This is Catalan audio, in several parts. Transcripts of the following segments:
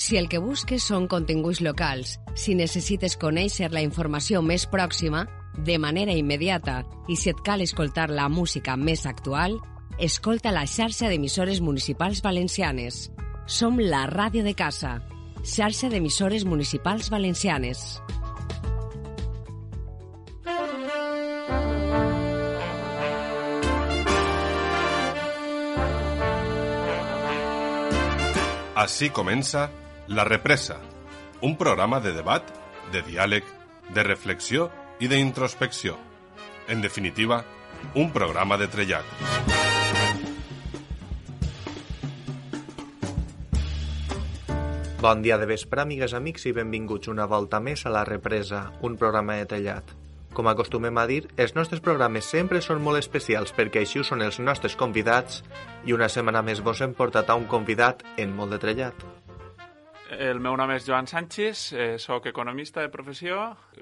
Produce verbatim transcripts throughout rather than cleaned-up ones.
Si el que busques són continguts locals, si necessites conèixer la informació més pròxima, de manera immediata, i si et cal escoltar la música més actual, escolta la xarxa d'emissores municipals valencianes. Som la ràdio de casa, xarxa d'emissores municipals valencianes. Así comença La Represa, un programa de debat, de diàleg, de reflexió i d'introspecció. En definitiva, un programa de trellat. Bon dia de vespre, amigues, amics, i benvinguts una volta més a La Represa, un programa de trellat. Com acostumem a dir, els nostres programes sempre són molt especials perquè així ho són els nostres convidats i una setmana més vos hem portat a un convidat en molt de trellat. El meu nom és Joan Sánchez, eh, soc economista de professió,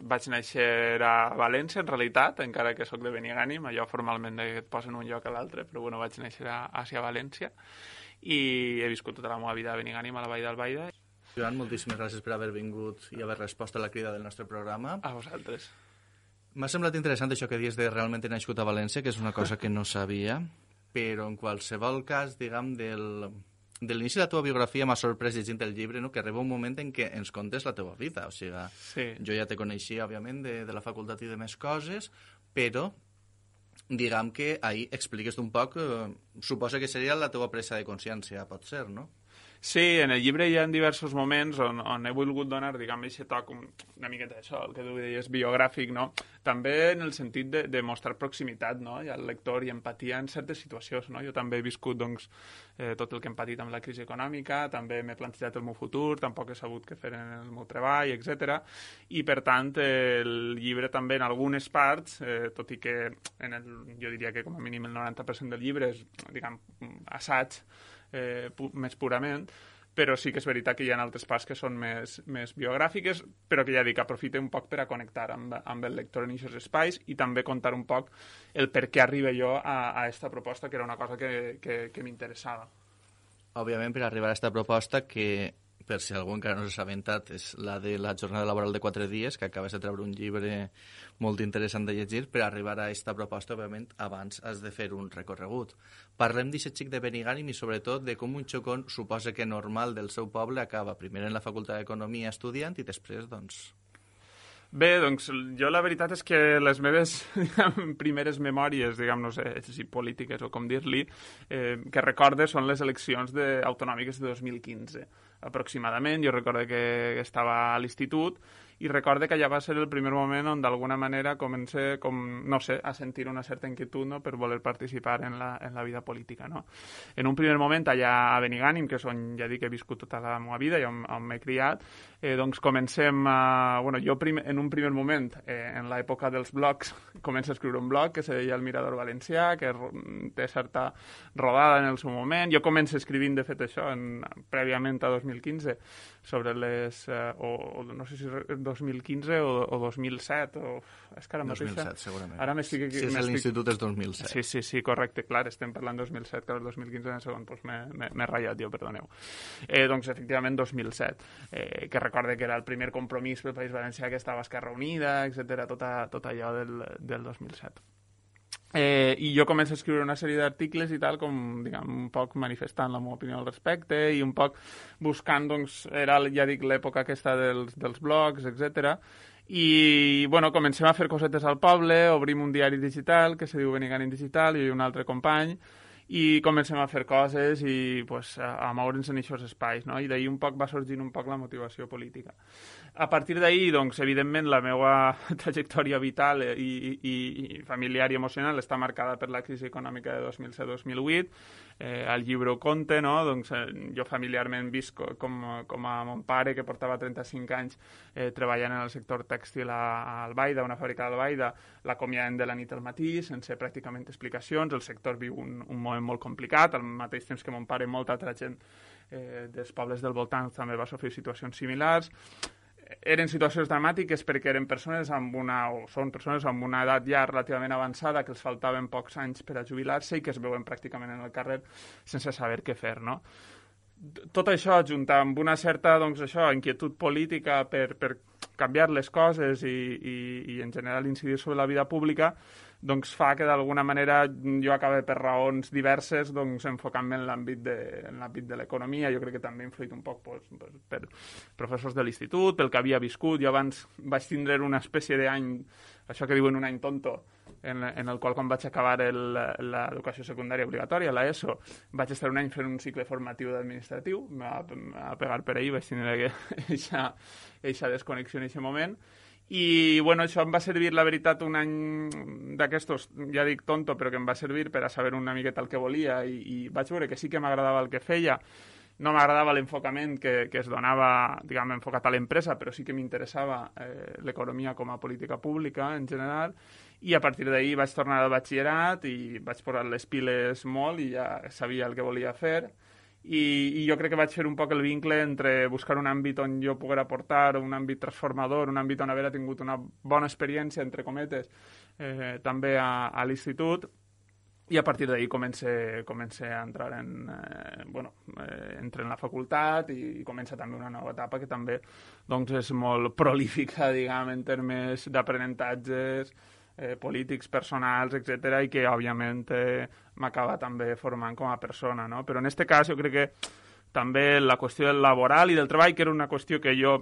vaig néixer a València, en realitat, encara que soc de Benigànim, allò formalment et posen un lloc a l'altre, però bueno, vaig néixer a, a València i he viscut tota la meva vida a Benigànim, a la Vall d'Albaida. Joan, moltíssimes gràcies per haver vingut i haver respost a la crida del nostre programa. A vosaltres. M'ha semblat interessant això que dius de realment he nascut a València, que és una cosa que no sabia, però en qualsevol cas, diguem, del, de l'inici de la teva biografia m'ha sorprès llegint el llibre, no? Que arriba un moment en què ens contes la teva vida. O sigui, sí. Jo ja te coneixia, òbviament, de, de la facultat i de més coses, però diguem que ahir expliques un poc, eh, suposa que seria la teva presa de consciència, pot ser, no? Sí, en el llibre hi ha diversos moments on, on he volgut donar, diguem, aquest toc una miqueta d'això, el que tu deies, biogràfic, no? També en el sentit de, de mostrar proximitat, no?, i al lector i empatia en certes situacions, no? Jo també he viscut, doncs, eh, tot el que hem patit amb la crisi econòmica, també m'he plantejat el meu futur, tampoc he sabut què fer en el meu treball, etcètera. I, per tant, eh, el llibre també en algunes parts, eh, tot i que en el, jo diria que com a mínim el noranta per cent del llibre és, diguem, assaig, Eh, pu més purament, però sí que és veritat que hi ha altres parts que són més, més biogràfiques, però que ja dic, aprofite un poc per a connectar amb, amb el lector en aquests espais i també contar un poc el per què arriba jo a, a esta proposta, que era una cosa que, que, que m'interessava. Òbviament, per arribar a aquesta proposta, que per si algú encara no s'ha assabentat, és la de la jornada laboral de quatre dies, que acabes de treure un llibre molt interessant de llegir. Per arribar a aquesta proposta, òbviament, abans has de fer un recorregut. Parlem d'aquest xic de Benigànim i, sobretot, de com un xocón suposa que normal del seu poble acaba primer en la Facultat d'Economia estudiant i després, doncs... Bé, doncs jo la veritat és que les meves diguem, primeres memòries, diguem, no sé si polítiques o com dir-li, eh, que recorde són les eleccions de, autonòmiques de dos mil quinze. Aproximadament, jo recordo que estava a l'institut i recordo que allà va ser el primer moment on d'alguna manera comencé, com, no sé, a sentir una certa inquietud, no?, per voler participar en la, en la vida política, no? En un primer moment, allà a Benigànim, que és on ja dic que he viscut tota la meva vida i on, on m'he criat, eh, doncs comencem a... Bueno, jo prim, en un primer moment, eh, en l'època dels blogs, començo a escriure un blog que se deia El Mirador Valencià, que té certa rodada en el seu moment. Jo començo escrivint, de fet, això, en, prèviament a dos mil quinze, sobre les... Eh, o, o no sé si dos mil quinze o, o dos mil set, o... És que ara dos mil set, mateixa... segurament. Ara m'estic... Si és a l'institut és dos mil set. Sí, sí, sí, correcte, clar, estem parlant dos mil set, que el dos mil quinze en el segon, doncs m'he ratllat jo, perdoneu. Eh, doncs, efectivament, dos mil set, eh, que recorde que era el primer compromís pel País Valencià que estava Esquerra Unida, etcètera, tot, tot allò del, del dos mil set. Eh, I jo començo a escriure una sèrie d'articles i tal, com, diguem, un poc manifestant la meva opinió al respecte i un poc buscant, doncs, era, ja dic, l'època aquesta dels, dels blogs, etcètera. I, bueno, comencem a fer cosetes al poble, obrim un diari digital que se diu Benigànim Digital, i un altre company, i comencem a fer coses i pues, a, a moure'ns en aquests espais, no? I d'ahir un poc va sorgint un poc la motivació política. A partir d'ahir, doncs, evidentment, la meva trajectòria vital i, i, i familiar i emocional està marcada per la crisi econòmica de dos mil set dos mil vuit. Eh, al llibre ho conte, no? Doncs, eh, jo familiarment visc com, com a mon pare, que portava trenta-cinc anys eh, treballant en el sector tèxtil a, a Albaida, una fàbrica d'Albaida, l'acomiaden de la nit al matí, sense pràcticament explicacions. El sector viu un, un moment molt complicat, al mateix temps que mon pare, molta altra gent eh, dels pobles del voltant també va sofrir situacions similars. Eren situacions dramàtiques perquè eren persones amb una, o són persones amb una edat ja relativament avançada, que els faltaven pocs anys per a jubilar-se i que es veuen pràcticament en el carrer sense saber què fer, no? tot això, juntar amb una certa, doncs, això, inquietud política per, per canviar les coses i, i, i, en general, incidir sobre la vida pública, doncs fa que, d'alguna manera, jo acabe per raons diverses doncs, enfocant-me en l'àmbit de, en l'àmbit de l'economia. Jo crec que també ha influït un poc pues, per professors de l'institut, pel que havia viscut. Jo abans vaig tindre una espècie d'any, això que diuen un any tonto, en, en el qual, quan vaig acabar l'educació secundària obligatòria, la ESO, vaig estar un any fent un cicle formatiu d'administratiu, me va, me va pegar per ahir, vaig tindre aquesta desconnexió en aquest moment. I, bueno, això em va servir, la veritat, un any d'aquestos, ja dic tonto, però que em va servir per a saber una miqueta el que volia i, i vaig veure que sí que m'agradava el que feia. No m'agradava l'enfocament que, que es donava, diguem, enfocat a l'empresa, però sí que m'interessava eh, l'economia com a política pública, en general, i a partir d'ahir vaig tornar al batxillerat i vaig posar les piles molt i ja sabia el que volia fer. I, i jo crec que vaig fer un poc el vincle entre buscar un àmbit on jo poguera aportar, un àmbit transformador, un àmbit on haver tingut una bona experiència, entre cometes, eh, també a, a l'institut, i a partir d'ahir comencé, comencé a entrar en, eh, bueno, eh, entre en la facultat i, i comença també una nova etapa que també doncs, és molt prolífica, diguem, en termes d'aprenentatges, Eh, polítics, personals, etcètera, i que, òbviament, eh, m'acaba també formant com a persona, no? Però en aquest cas jo crec que també la qüestió del laboral i del treball, que era una qüestió que jo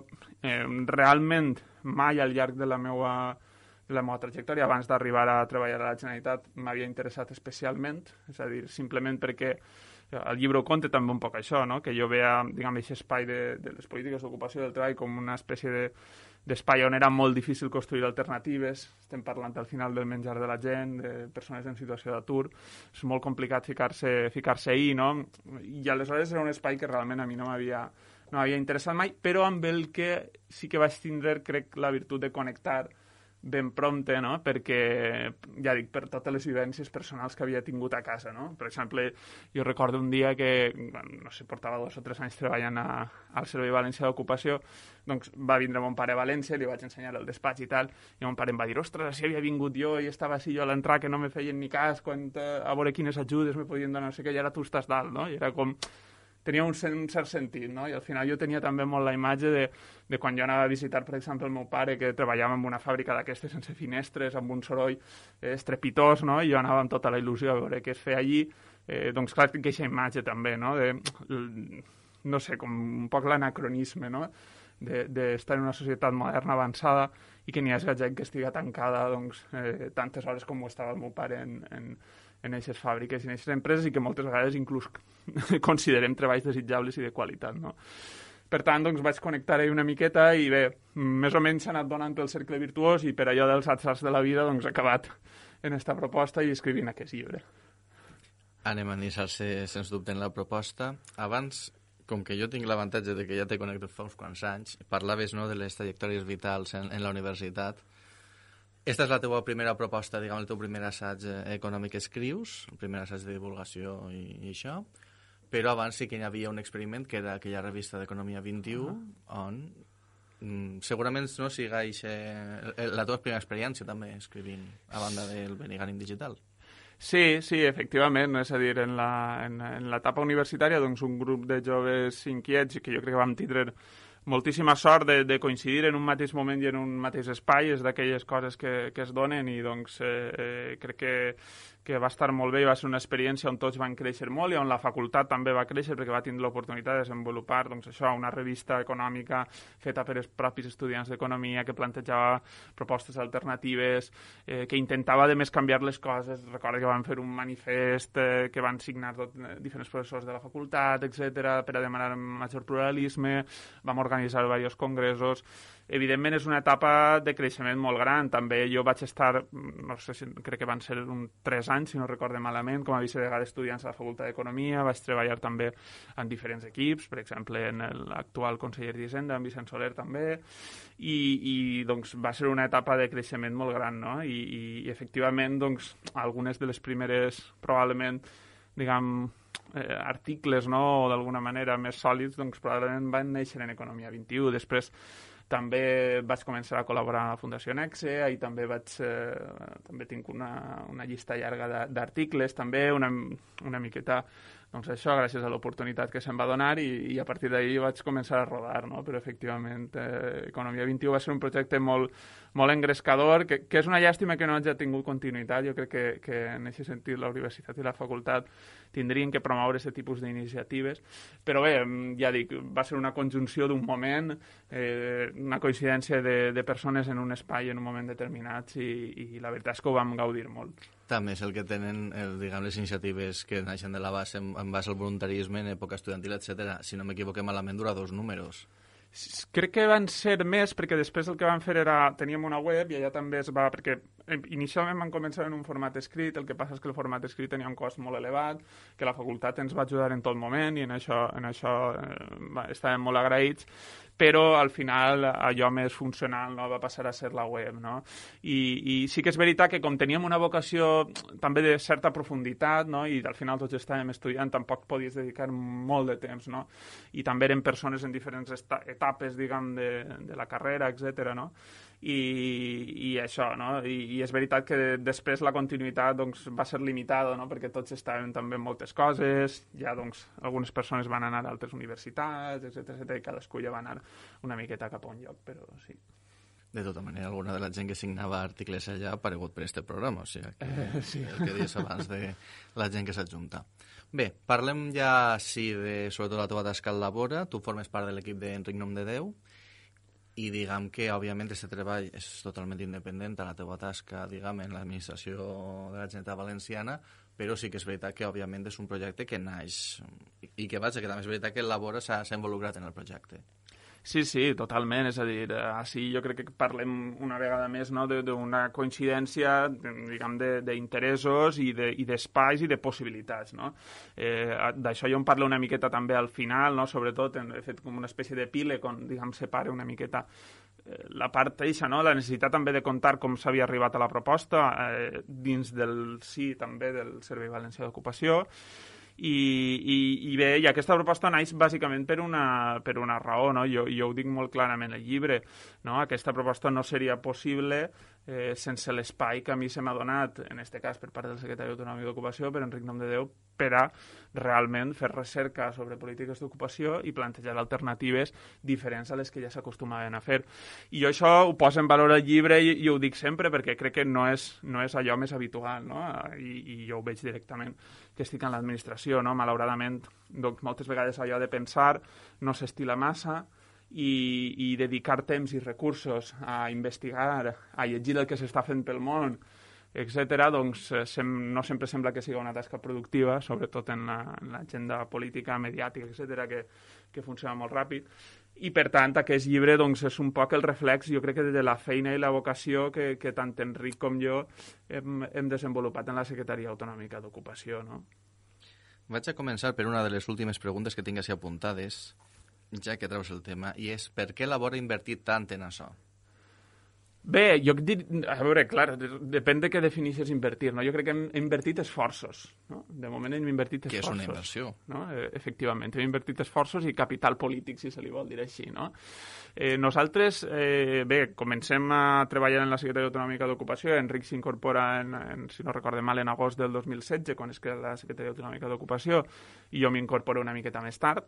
eh, realment mai al llarg de la meva, de la meva trajectòria, abans d'arribar a treballar a la Generalitat, m'havia interessat especialment, és a dir, simplement perquè el llibre ho conta també un poc això, no? Que jo veia, diguem, aquest espai de, de les polítiques d'ocupació del treball com una espècie de d'espai on era molt difícil construir alternatives. Estem parlant al final del menjar de la gent, de persones en situació d'atur. És molt complicat ficar-se ficar-se ahí, no? I aleshores era un espai que realment a mi no m'havia no m'havia interessat mai, però amb el que sí que vaig tindre, crec, la virtut de connectar ben prompte, no? Perquè, ja dic, per totes les vivències personals que havia tingut a casa, no? Per exemple, jo recordo un dia que, no sé, portava dos o tres anys treballant a, al Servei Valencià d'Ocupació, doncs va vindre mon pare a València, li vaig ensenyar el despatx i tal, i mon pare em va dir, ostres, si havia vingut jo i estava així jo a l'entrar, que no me feien ni cas, quan, a veure quines ajudes me podien donar, no sé què, i ara tu estàs dalt, no? I era com... tenia un, un cert sentit, no? I al final jo tenia també molt la imatge de, de quan jo anava a visitar, per exemple, el meu pare, que treballava en una fàbrica d'aquestes sense finestres, amb un soroll eh, estrepitós, no? I jo anava amb tota la il·lusió a veure què es feia allí. Eh, doncs clar, tinc aquesta imatge també, no? De, no sé, com un poc l'anacronisme, no? D'estar en una societat moderna avançada i que n'hi hagi gent que estiga tancada doncs, eh, tantes hores com ho estava el meu pare en, en, en aquestes fàbriques i en aquestes empreses i que moltes vegades inclús considerem treballs desitjables i de qualitat, no? Per tant, doncs, vaig connectar-hi una miqueta i bé, més o menys s'ha anat donant pel cercle virtuós i per allò dels atzars de la vida doncs, he acabat en aquesta proposta i escrivint aquest llibre. Anem a iniciar-se, sens dubte, en la proposta. Abans, com que jo tinc l'avantatge de que ja t'he connectat fa uns quants anys, parlaves, no, de les trajectòries vitals en, en la universitat. Esta és la teva primera proposta, diguem, el teu primer assaig econòmic que escrius, el primer assaig de divulgació i, i això, però abans sí que hi havia un experiment que era aquella revista d'Economia vint-i-u, uh-huh. on mm, segurament no siga eixe, la teva primera experiència també escrivint a banda del Benigànim Digital. Sí, sí, efectivament, no? És a dir, en la, en, en l'etapa universitària, doncs, un grup de joves inquiets, que jo crec que vam tindre moltíssima sort de, de coincidir en un mateix moment i en un mateix espai, és d'aquelles coses que, que es donen i doncs eh, eh, crec que, que va estar molt bé i va ser una experiència on tots van créixer molt i on la facultat també va créixer perquè va tindre l'oportunitat de desenvolupar doncs, això, una revista econòmica feta per els propis estudiants d'economia que plantejava propostes alternatives, eh, que intentava de més canviar les coses. Recordo que van fer un manifest eh, que van signar tot, eh, diferents professors de la facultat, etcètera, per a demanar major pluralisme, vam organitzar diversos congressos. Evidentment és una etapa de creixement molt gran. També jo vaig estar, no sé si crec que van ser un tres anys, si no recorde malament, com a vicedegà d'estudiants a la Facultat d'Economia. Vaig treballar també en diferents equips, per exemple, en l'actual conseller d'Hisenda, en Vicent Soler també, i, i doncs va ser una etapa de creixement molt gran, no? I, i, i efectivament, doncs, algunes de les primeres, probablement, diguem, eh, articles, no?, o d'alguna manera més sòlids, doncs probablement van néixer en Economia vint-i-u. Després també vaig començar a col·laborar a la Fundació Nexe, i també vaig, eh, també tinc una, una llista llarga d'articles, també una, una miqueta doncs això, gràcies a l'oportunitat que se'm va donar i, i a partir d'ahir vaig començar a rodar, no? Però efectivament eh, Economia vint i u va ser un projecte molt, molt engrescador, que, que és una llàstima que no hagi tingut continuïtat. Jo crec que, que en aquest sentit la universitat i la facultat tindrien que promoure aquest tipus d'iniciatives, però bé, ja dic, va ser una conjunció d'un moment, eh, una coincidència de, de persones en un espai en un moment determinat i, i la veritat és que ho vam gaudir molt. També és el que tenen, el, diguem, les iniciatives que naixen de la base en, en base al voluntarisme en època estudiantil, etcètera. Si no m'equivoqué malament, dura dos números. Crec que van ser més, perquè després el que van fer era... Teníem una web i allà també es va... Perquè inicialment van començar en un format escrit, el que passa és que el format escrit tenia un cost molt elevat, que la facultat ens va ajudar en tot moment i en això, en això eh, estàvem molt agraïts, però al final allò més funcional no va passar a ser la web, no? I, i sí que és veritat que com teníem una vocació també de certa profunditat, no? I al final tots estàvem estudiant, tampoc podies dedicar molt de temps, no? I també eren persones en diferents etapes, diguem, de, de la carrera, etcètera, no? I, i això, no? I, i és veritat que després la continuïtat doncs, va ser limitada, no? Perquè tots estàvem també en moltes coses, ja doncs, algunes persones van anar a altres universitats, etcètera, etcètera, i cadascú ja va anar una miqueta cap a un lloc, però sí. De tota manera, alguna de la gent que signava articles allà ha aparegut per este programa, o sigui, que, eh, sí. el que deies abans de la gent que s'adjunta. Bé, parlem ja, sí, de, sobretot la teva tasca al Labora. Tu formes part de l'equip d'Enric Nomdedeu, i diguem que, òbviament, aquest treball és totalment independent a la teva tasca, diguem, en l'administració de la Generalitat Valenciana, però sí que és veritat que, òbviament, és un projecte que naix, i que, vaja, que també és veritat que el Labora s'ha involucrat en el projecte. Sí, sí, totalment. És a dir, així jo crec que parlem una vegada més, no, d'una coincidència, diguem, d'interessos i d'espais i de possibilitats, no? Eh, D'això jo en parlo una miqueta també al final, no? Sobretot he fet com una espècie de píleg on, diguem, separa una miqueta la part eixa, no? La necessitat també de contar com s'havia arribat a la proposta eh, dins del sí també del Servei Valencià d'Ocupació. I, i, i bé, i aquesta proposta naix bàsicament per una, per una raó, no? Jo, jo ho dic molt clarament al llibre, no? Aquesta proposta no seria possible eh, sense l'espai que a mi se m'ha donat, en aquest cas per part del secretari autonòmic d'Ocupació, per Enric Nomdedeu, per a realment fer recerca sobre polítiques d'ocupació i plantejar alternatives diferents a les que ja s'acostumaven a fer. I jo això ho poso en valor al llibre i, i ho dic sempre perquè crec que no és, no és allò més habitual, no? I, i jo ho veig directament que estic en l'administració, no? Malauradament, doncs, moltes vegades allò de pensar no s'estila massa i, i dedicar temps i recursos a investigar, a llegir el que s'està fent pel món, etcètera, doncs sem no sempre sembla que sigui una tasca productiva, sobretot en l'agenda la, política, mediàtica, etcètera, que, que funciona molt ràpid. I, per tant, aquest llibre doncs, és un poc el reflex, jo crec que de la feina i la vocació que, que tant Enric com jo hem, hem desenvolupat en la Secretaria Autonòmica d'Ocupació, no? Vaig a començar per una de les últimes preguntes que tinc així apuntades, ja que treus el tema, i és per què Labora ha invertit tant en això? Bé, jo dir, a veure, clar, depèn de què defineixes invertir, no? Jo crec que hem, hem invertit esforços, no? De moment hem invertit esforços. Que és una inversió. No? Eh, efectivament, hem invertit esforços i capital polític, si se li vol dir així, no? Eh, nosaltres, eh, bé, comencem a treballar en la Secretaria Autonòmica d'Ocupació, Enric s'incorpora, en, en, si no recorde mal, en agost del dos mil setze, quan es crea la Secretaria Autonòmica d'Ocupació, i jo m'incorporo una miqueta més tard.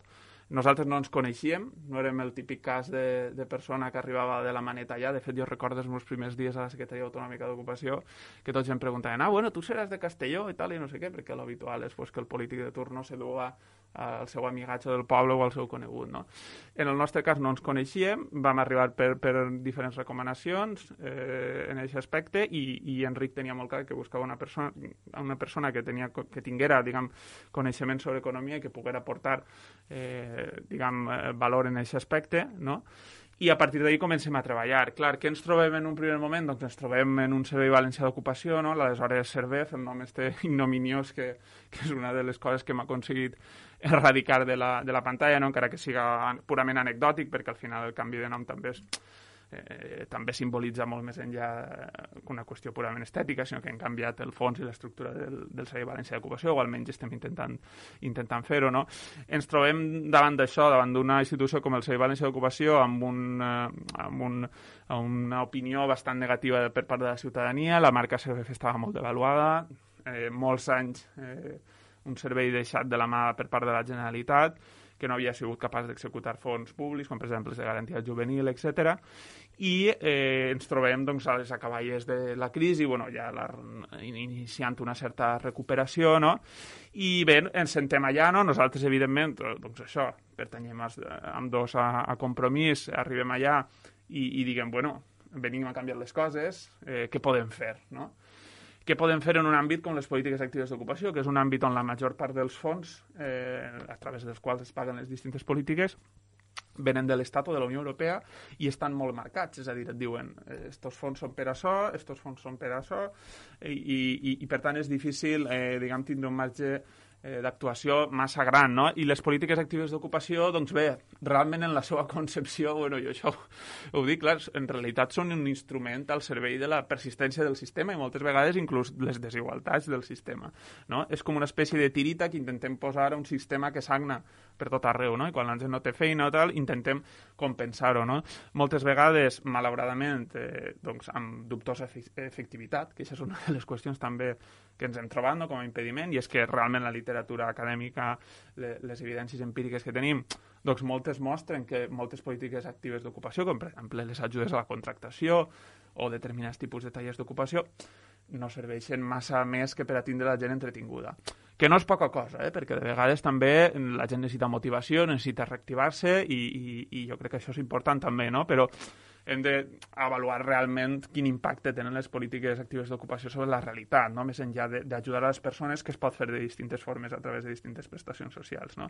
Nosaltres no ens coneixíem, no érem el típic cas de, de persona que arribava de la maneta allà. De fet, jo recordo els meus primers dies a la Secretaria Autonòmica d'Ocupació que tots em preguntaven, ah, bueno, tu seràs de Castelló i tal, i no sé què, perquè l'habitual és pues, que el polític de turno s'eduga al seu amigatge del poble o al seu conegut, no? En el nostre cas no ens coneixíem, vam arribar per, per diferents recomanacions eh, en aquest aspecte i, i Enric tenia molt clar que buscava una persona, una persona que, tenia, que tinguera, diguem, coneixement sobre economia i que poguera aportar eh, diguem, valor en aquest aspecte, no? I a partir d'ahir comencem a treballar. Clar, què ens trobem en un primer moment? Doncs ens trobem en un Servei Valencià d'Ocupació, no? L'aleshores Servef, el nom este ignominiós, que, que és una de les coses que m'ha aconseguit erradicar de la, de la pantalla, no? Encara que siga purament anecdòtic, perquè al final el canvi de nom també és Eh, també simbolitza molt més enllà que una qüestió purament estètica, sinó que han canviat el fons i l'estructura del, del Servei Valencià d'Ocupació, o almenys estem intentant, intentant fer-ho, no? Ens trobem davant d'això, davant d'una institució com el Servei Valencià d'Ocupació, amb, un, eh, amb un, una opinió bastant negativa per part de la ciutadania. La marca Servef estava molt devaluada, eh, molts anys eh, un servei deixat de la mà per part de la Generalitat, que no havia sigut capaç d'executar fons públics, com per exemple els de garantia juvenil, etcètera. I eh, ens trobem doncs, a les acaballes de la crisi, bueno, ja la, iniciant una certa recuperació, no? I bé, ens sentem allà, no? Nosaltres, evidentment, doncs això, pertanyem amb dos a, a Compromís, arribem allà i, i diguem, bueno, venim a canviar les coses, eh, què podem fer, no? Què podem fer en un àmbit com les polítiques actives d'ocupació, que és un àmbit on la major part dels fons, eh, a través dels quals es paguen les distintes polítiques, venen de l'Estat o de la Unió Europea i estan molt marcats, és a dir, et diuen estos fons són per això, estos fons són per això, i, i, i per tant és difícil, eh, diguem, tindre un marge eh, d'actuació massa gran, no? I les polítiques actives d'ocupació, doncs bé, realment en la seva concepció, bueno, jo això ho dic, clar, en realitat són un instrument al servei de la persistència del sistema i moltes vegades inclús les desigualtats del sistema, no? És com una espècie de tirita que intentem posar a un sistema que sagna per tot arreu, no? I quan la gent no té feina o tal, intentem compensar-ho, no? Moltes vegades, malauradament, eh, doncs, amb dubtosa efectivitat, que això és una de les qüestions també que ens hem trobat, no?, com a impediment, i és que realment la literatura acadèmica, les evidències empíriques que tenim, doncs moltes mostren que moltes polítiques actives d'ocupació, com per exemple les ajudes a la contractació o determinats tipus de tallers d'ocupació, no serveixen massa més que per a tindre la gent entretinguda. Que no és poca cosa, eh? Perquè de vegades també la gent necessita motivació, necessita reactivar-se i, i, i jo crec que això és important també, no? Però hem d'avaluar realment quin impacte tenen les polítiques actives d'ocupació sobre la realitat, no? Més enllà d'ajudar a les persones, que es pot fer de distintes formes a través de distintes prestacions socials, no?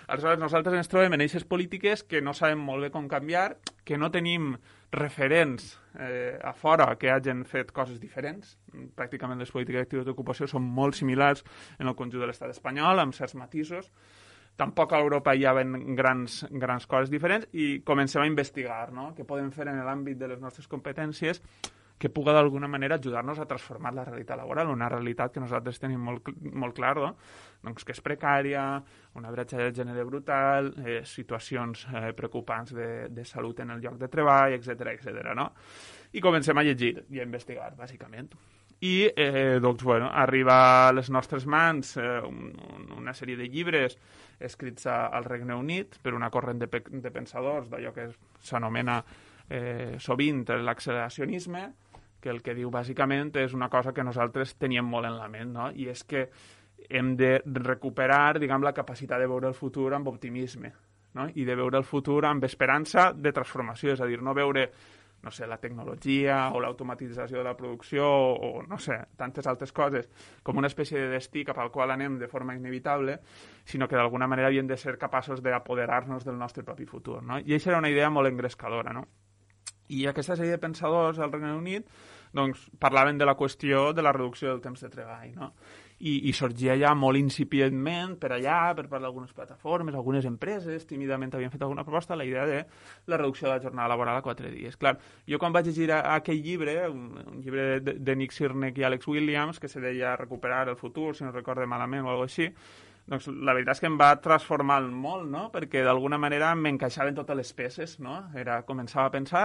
Aleshores, nosaltres ens trobem en aquestes polítiques que no sabem molt bé com canviar, que no tenim referents eh, a fora que hagin fet coses diferents. Pràcticament les polítiques actives d'ocupació són molt similars en el conjunt de l'estat espanyol, amb certs matisos. Tampoc a Europa hi ha grans, grans coses diferents i comencem a investigar, no? Què podem fer en l'àmbit de les nostres competències que puga d'alguna manera ajudar-nos a transformar la realitat laboral, una realitat que nosaltres tenim molt, molt clar, no? Doncs que és precària, una bretxa de gènere brutal, eh, situacions eh, preocupants de, de salut en el lloc de treball, etcètera, etcètera, no? I comencem a llegir i a investigar, bàsicament. I, eh, doncs, bueno, arriba a les nostres mans eh, un, una sèrie de llibres escrits a, al Regne Unit per una corrent de, pe de pensadors d'allò que s'anomena eh, sovint l'acceleracionisme, que el que diu bàsicament és una cosa que nosaltres teníem molt en la ment, no? I és que hem de recuperar, diguem, la capacitat de veure el futur amb optimisme, no? I de veure el futur amb esperança de transformació, és a dir, no veure, no sé, la tecnologia o l'automatització de la producció o, o, no sé, tantes altres coses com una espècie de destí cap al qual anem de forma inevitable, sinó que d'alguna manera havíem de ser capaços d'apoderar-nos del nostre propi futur, no? I això era una idea molt engrescadora, no? I aquesta sèrie de pensadors al Regne Unit doncs, parlaven de la qüestió de la reducció del temps de treball, no? I, i sorgia ja molt incipientment per allà, per part d'algunes plataformes, algunes empreses, tímidament havien fet alguna proposta, la idea de la reducció de la jornada laboral a quatre dies. Clar, jo quan vaig llegir aquell llibre, un, un llibre de, de Nick Sirnick i Alex Williams, que se deia Recuperar el futur, si no recorde malament o alguna cosa així, doncs la veritat és que em va transformar molt, no? Perquè d'alguna manera m'encaixaven totes les peces, no? Era, començava a pensar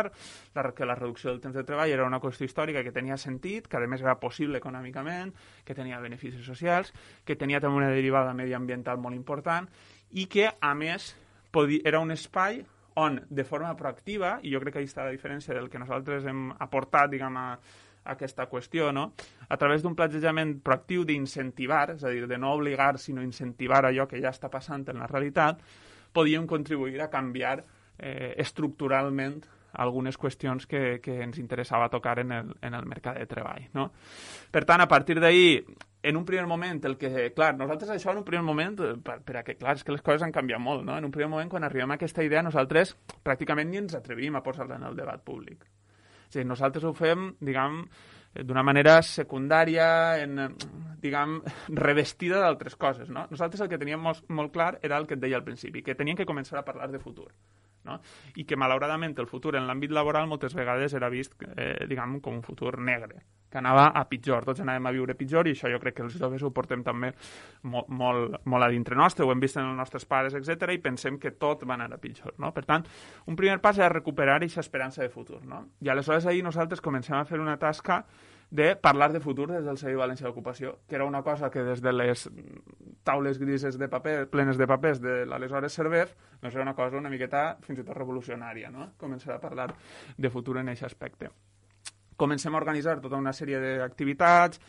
la, que la reducció del temps de treball era una qüestió històrica que tenia sentit, que a més era possible econòmicament, que tenia beneficis socials, que tenia també una derivada mediambiental molt important i que, a més, podia, era un espai on, de forma proactiva, i jo crec que ahí està la diferència del que nosaltres hem aportat, diguem, a aquesta qüestió, no? A través d'un plantejament proactiu d'incentivar, és a dir, de no obligar, sinó incentivar allò que ja està passant en la realitat, podíem contribuir a canviar eh, estructuralment algunes qüestions que, que ens interessava tocar en el, en el mercat de treball, no? Per tant, a partir d'ahir, en un primer moment, el que, clar, nosaltres això en un primer moment, per, per a que, clar, és que les coses han canviat molt, no? En un primer moment, quan arribem a aquesta idea, nosaltres pràcticament ni ens atrevim a posar-la en el debat públic. És a dir, nosaltres ho fem, diguem, d'una manera secundària, en, diguem, revestida d'altres coses, no? Nosaltres el que teníem molt, molt clar era el que et deia al principi, que teníem que començar a parlar de futur, no? I que, malauradament, el futur en l'àmbit laboral moltes vegades era vist, eh, diguem, com un futur negre, que anava a pitjor, tots anàvem a viure pitjor i això jo crec que els joves ho portem també molt, molt, molt a dintre nostre, ho hem vist en els nostres pares, etcètera, i pensem que tot va anar a pitjor, no? Per tant, un primer pas era recuperar aquesta esperança de futur, no? I aleshores ahir nosaltres comencem a fer una tasca de parlar de futur des del Servei Valencià d'Ocupació, que era una cosa que des de les taules grises de paper, plenes de papers de l'aleshores Servef, doncs era una cosa una miqueta fins i tot revolucionària, no? Començar a parlar de futur en aquest aspecte. Comencem a organitzar tota una sèrie d'activitats,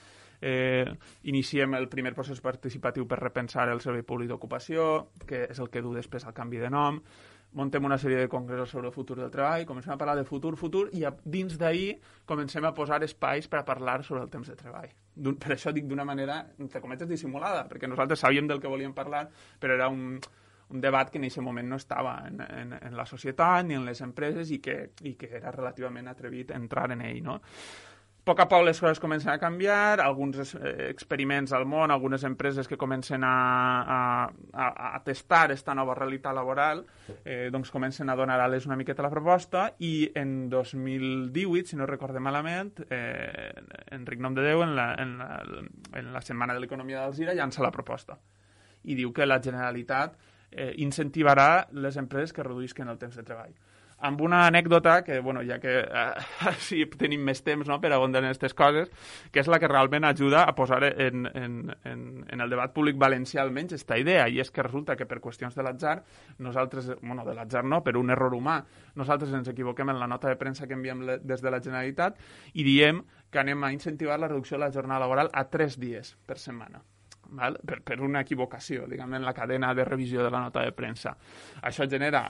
eh, iniciem el primer procés participatiu per repensar el Servei Públic d'Ocupació, que és el que du després al canvi de nom, muntem una sèrie de congressos sobre el futur del treball, comencem a parlar de futur, futur, i a, dins d'ahir comencem a posar espais per a parlar sobre el temps de treball. Per això dic d'una manera, entre cometes, dissimulada, perquè nosaltres sabíem del que volíem parlar, però era un, un debat que en aquest moment no estava en, en, en la societat ni en les empreses i que, i que era relativament atrevit entrar en ell, no? A poc a poc les coses comencen a canviar, alguns experiments al món, algunes empreses que comencen a, a, a testar aquesta nova realitat laboral, eh, doncs comencen a donar ales una miqueta a la proposta i en dos mil divuit, si no recorde malament, eh, Enric Nomdedeu, en la, en, la, en la Setmana de l'Economia d'Alzira, llança la proposta i diu que la Generalitat eh, incentivarà les empreses que reduïsquen el temps de treball. Amb una anècdota que, bueno, ja que eh, sí, tenim més temps, no?, per abundar en aquestes coses, que és la que realment ajuda a posar en, en, en, en el debat públic valencià almenys aquesta idea, i és que resulta que per qüestions de l'atzar, nosaltres, bueno, de l'atzar no, per un error humà, nosaltres ens equivoquem en la nota de premsa que enviem des de la Generalitat i diem que anem a incentivar la reducció de la jornada laboral a tres dies per setmana. Val? Per, per una equivocació, diguem, en la cadena de revisió de la nota de premsa. Això genera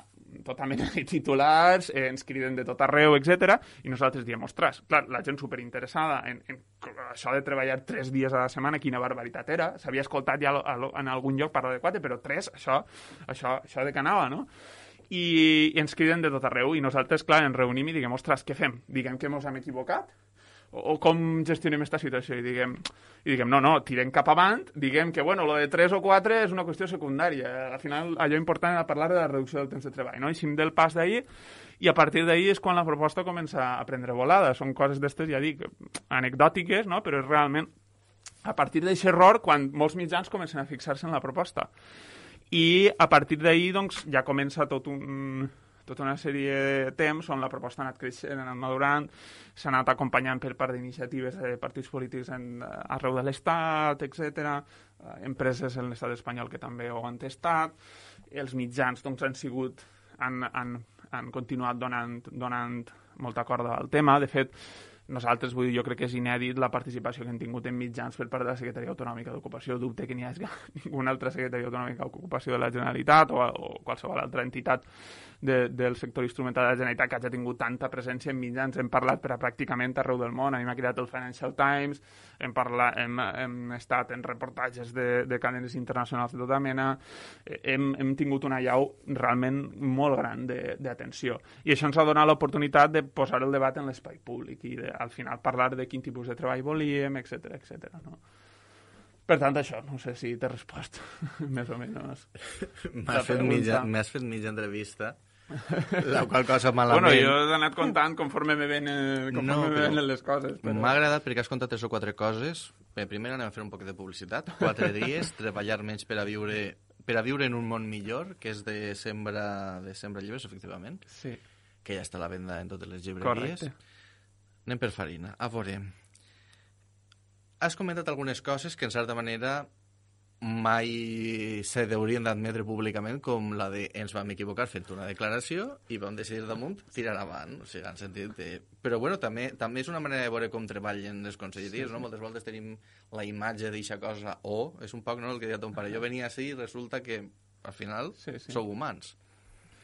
tota mena de titulars, eh, ens criden de tot arreu, etcètera, i nosaltres diem, ostres, clar, la gent superinteressada en, en això de treballar tres dies a la setmana, quina barbaritat era, s'havia escoltat ja en algun lloc parlar de quatre, però tres, això, això, això de que anava, no? I, i ens criden de tot arreu, i nosaltres, clar, ens reunim i diguem, ostres, què fem? Diguem que ens hem equivocat? O com gestionem aquesta situació? I diguem, i diguem no, no, tirem cap avant, diguem que, bueno, lo de tres o quatre és una qüestió secundària. Al final, allò important era parlar de la reducció del temps de treball, no? Eixim del pas d'ahir i a partir d'ahir és quan la proposta comença a prendre volada. Són coses d'estes, ja dic, anecdòtiques, no? Però és realment a partir d'aquest error quan molts mitjans comencen a fixar-se en la proposta. I a partir d'ahir, doncs, ja comença tot un... tota una sèrie de temps on la proposta ha anat creixent, ha anat madurant, s'ha anat acompanyant per part d'iniciatives de partits polítics en, arreu de l'Estat, etcètera, empreses en l'Estat espanyol que també ho han testat, els mitjans doncs, han sigut, han, han, han continuat donant, donant molta corda al tema. De fet, nosaltres, vull dir, jo crec que és inèdit la participació que hem tingut en mitjans per part de la Secretaria Autonòmica d'Ocupació. Dubte que n'hi hagi ninguna altra Secretaria Autonòmica d'Ocupació de la Generalitat o, o qualsevol altra entitat de, del sector instrumental de la Generalitat que hagi tingut tanta presència en mitjans. Hem parlat per a pràcticament arreu del món. A mi m'ha cridat el Financial Times, hem, parlat, hem, hem estat en reportatges de, de cadenes internacionals de tota mena, hem, hem tingut una llau realment molt gran d'atenció. I això ens ha donat l'oportunitat de posar el debat en l'espai públic i de, al final parlar de quin tipus de treball volíem, etcètera, etcètera, no? Per tant, això, no sé si t'he respost, més o menys. M'has fet, mitja, fet mitja entrevista, la qual cosa malament... Bueno, jo he anat contant conforme me ven, conforme no, me ven les coses. Però... M'ha agradat perquè has contat tres o quatre coses. Bé, primer anem a fer un poc de publicitat. Quatre dies, treballar menys per a viure per a viure en un món millor, que és de Sembra, de Sembra Llibres, efectivament. Sí. Que ja està a la venda en totes les llibreries. Correcte. Anem per farina. A veure, has comentat algunes coses que, en certa manera, mai se deurien d'admetre públicament, com la de ens vam equivocar fent una declaració i vam decidir damunt tirar avant. O sigui, en sentit de... Però, bueno, també, també és una manera de veure com treballen les conselleries, sí, no? Moltes voltes tenim la imatge d'eixa cosa, o és un poc, no?, el que deia ton pare. Jo venia així i resulta que, al final, sí, sí. sou humans.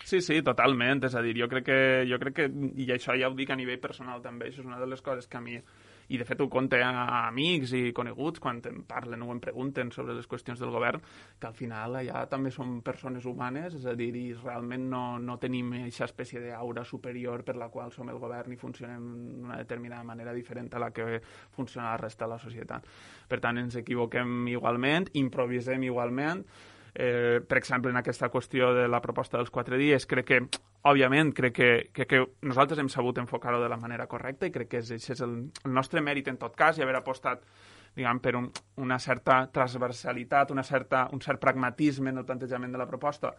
Sí, sí, totalment. És a dir, jo crec que, jo crec que, i això ja ho dic a nivell personal també, això és una de les coses que a mi, i de fet ho conté a amics i coneguts quan em parlen o em pregunten sobre les qüestions del govern, que al final allà també som persones humanes, és a dir, i realment no, no tenim aquesta espècie d'aura superior per la qual som el govern i funcionem d'una determinada manera diferent a la que funciona la resta de la societat. Per tant, ens equivoquem igualment, improvisem igualment. Eh, per exemple, en aquesta qüestió de la proposta dels quatre dies, crec que, òbviament, crec que, que, que nosaltres hem sabut enfocar-ho de la manera correcta i crec que és, és el, el nostre mèrit en tot cas i haver apostat, diguem, per un, una certa transversalitat, una certa, un cert pragmatisme en el plantejament de la proposta,